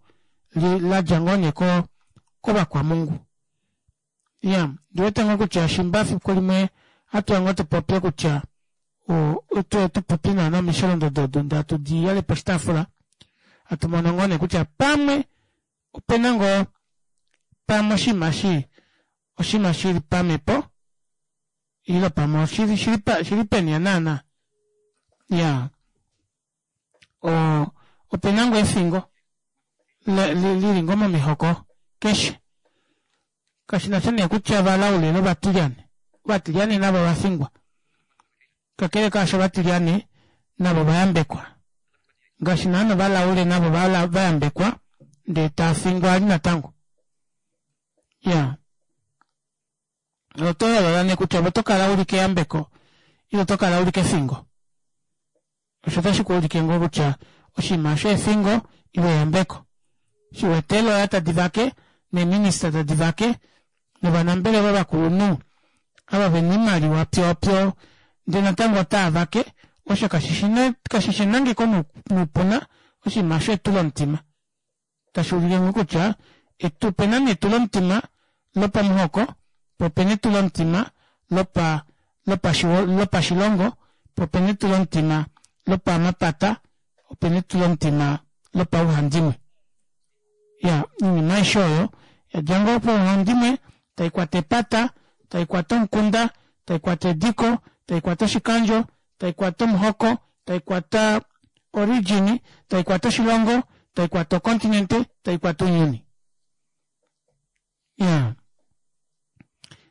ladja ngoo nee kovakwamungu. Ya, ndiwete ngoo kutya shimba fiku limwe hatuya ngoo tupopye kutya tuye tupopye naana omisholondodo odo ndee hatu di yale poshitaafula hatu mono ngoo nee kutya pamwe opena ngoo pamwe oshinima shi oshinima shili pamepo ile pamwe oshili shili peni naana. Ya, o opena ngoo efingo lili ngoo momihoko keshe. Kashinasha nee kutya ovalaule novatilyane. Ovatilyane navo ovafingwa. Kakele kaasho ovatilyane navo ovayambekwa. Ngaashi naana ovalaule navo vayambekwa ndee tafingwa ali natango. Ya, oto yoolola nee kutya ove oto kala uli keyambeko ile oto kala uli kefingo. Osho otashi kuulike ngoo kutya oshinima osho efingo ile eyambeko. Shiwete eeloya tadi vake neeminista tadi vake novanambelewa vakulunhu ava vena oimaliwa pyoopyo ndee natango otava vake, osho kashishi enangeko noupuna, oshinima osho etulomutima. Tashi ulike ngoo kutya opena nee etulomutima lopamuhoko, po opena etulomutima lopa lopashilongo, po opena etulomutima lopamapata, opena etulomutima lopauhandimwe. Ya, oinima aishe oyo yadja ngoo pauhandimwe taikwata epata, taikwata omukunda, taikwata ediko, taikwata oshikandjo, taikwata omuhoko, taikwata origin, taikwata oshilongo, taikwata ocontinent, taikwata ounyuni. Ya,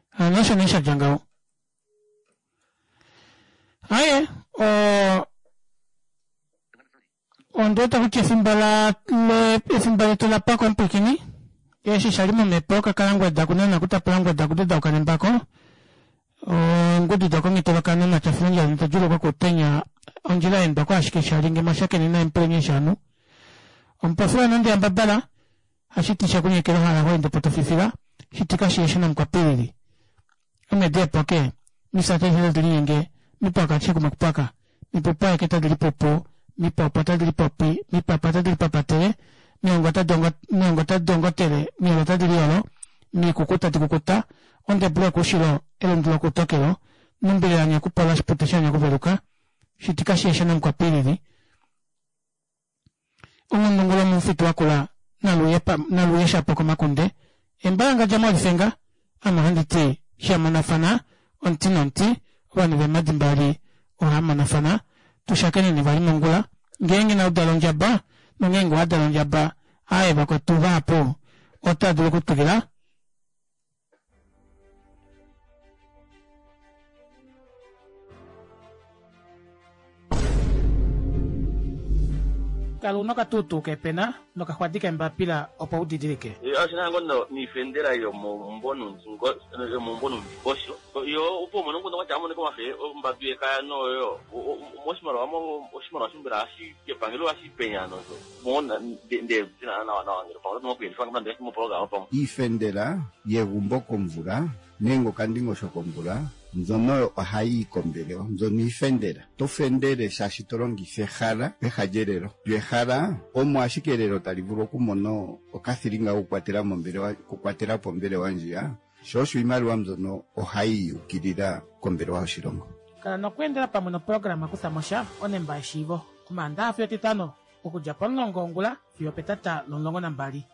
hano osho nee shadja ngaho. Aaye, ondiwete kutya efimbo efimbo letu lapwako omupwiikini. Eshi shali momepo kakalangweda kunana kutapula ngweda kudedauka nembako. Ongudu dokongitoloka nomatya filundja nitadjuluka kutenya ondjila yendwa ashike shali nge mwashakene naye mupulenye shanu. Omupofi wanande yambabala hashiti shakunyekela hala hoende potofifila shitika shiyeshe namukwapilili. Omedi epoke misate hilo dilinyenge mipaka chikumakupaka mipupa eketa dilipupu mipopo tadilipopi mipapa tadilipapatele miongo tadongotele miolo tadiliolo mikuku tadikukuta ondebulu yokuushilo elundu lokutokelo numbile yanyakupola shipute shanyakuveluka shitika shiyeshe namukwapilili. Ongundungulo omufitu wakula naluye shapo komakunde embalanga mwalifenga ame ohandi ti shamonafana omuti nomuti ovanhu vemadi mbali ohamonafana. Tushakeneni vali mongula ngeenge naudala ondjaba nongeenge wadala ondjaba aaye vakwetu vahapu otava dulu okutwikila. Kala una okatuutuu kepena nokaxwadi kembapila opo udidilike. Oshina ngoo niifendela yomomumbo nomundingosho yo opo umone nguno kwatya amoneka omafe ombadu yekaya noyo moshimaliwa oshimaliwa shimbela hashi epangelo hashi penya nozo mona nde nawa nawa ngele pamwe oto moku mopologama pamwe. Iifendela yegumbo komvula nenge okandingosho komvula mbyono ohayi kombelewa, mbyono iifendela. To fendele shaashi to longitha ehala peha lyelelo. Lyo ehala omo ashike elelo tali vulu okumona okathilinga kokukwatela mombelewa, okukwatela po ombelewa ndjiya. Sho osho iimaliwa mbyono ohayi yukilila kombelewa yoshilongo. Kala nokweendela pamwe noprograma kutha mosha onemba yeshiivo omaandaxa fiyo etitano okudja pomulongo wongula fiyo petata lomulongo nambali.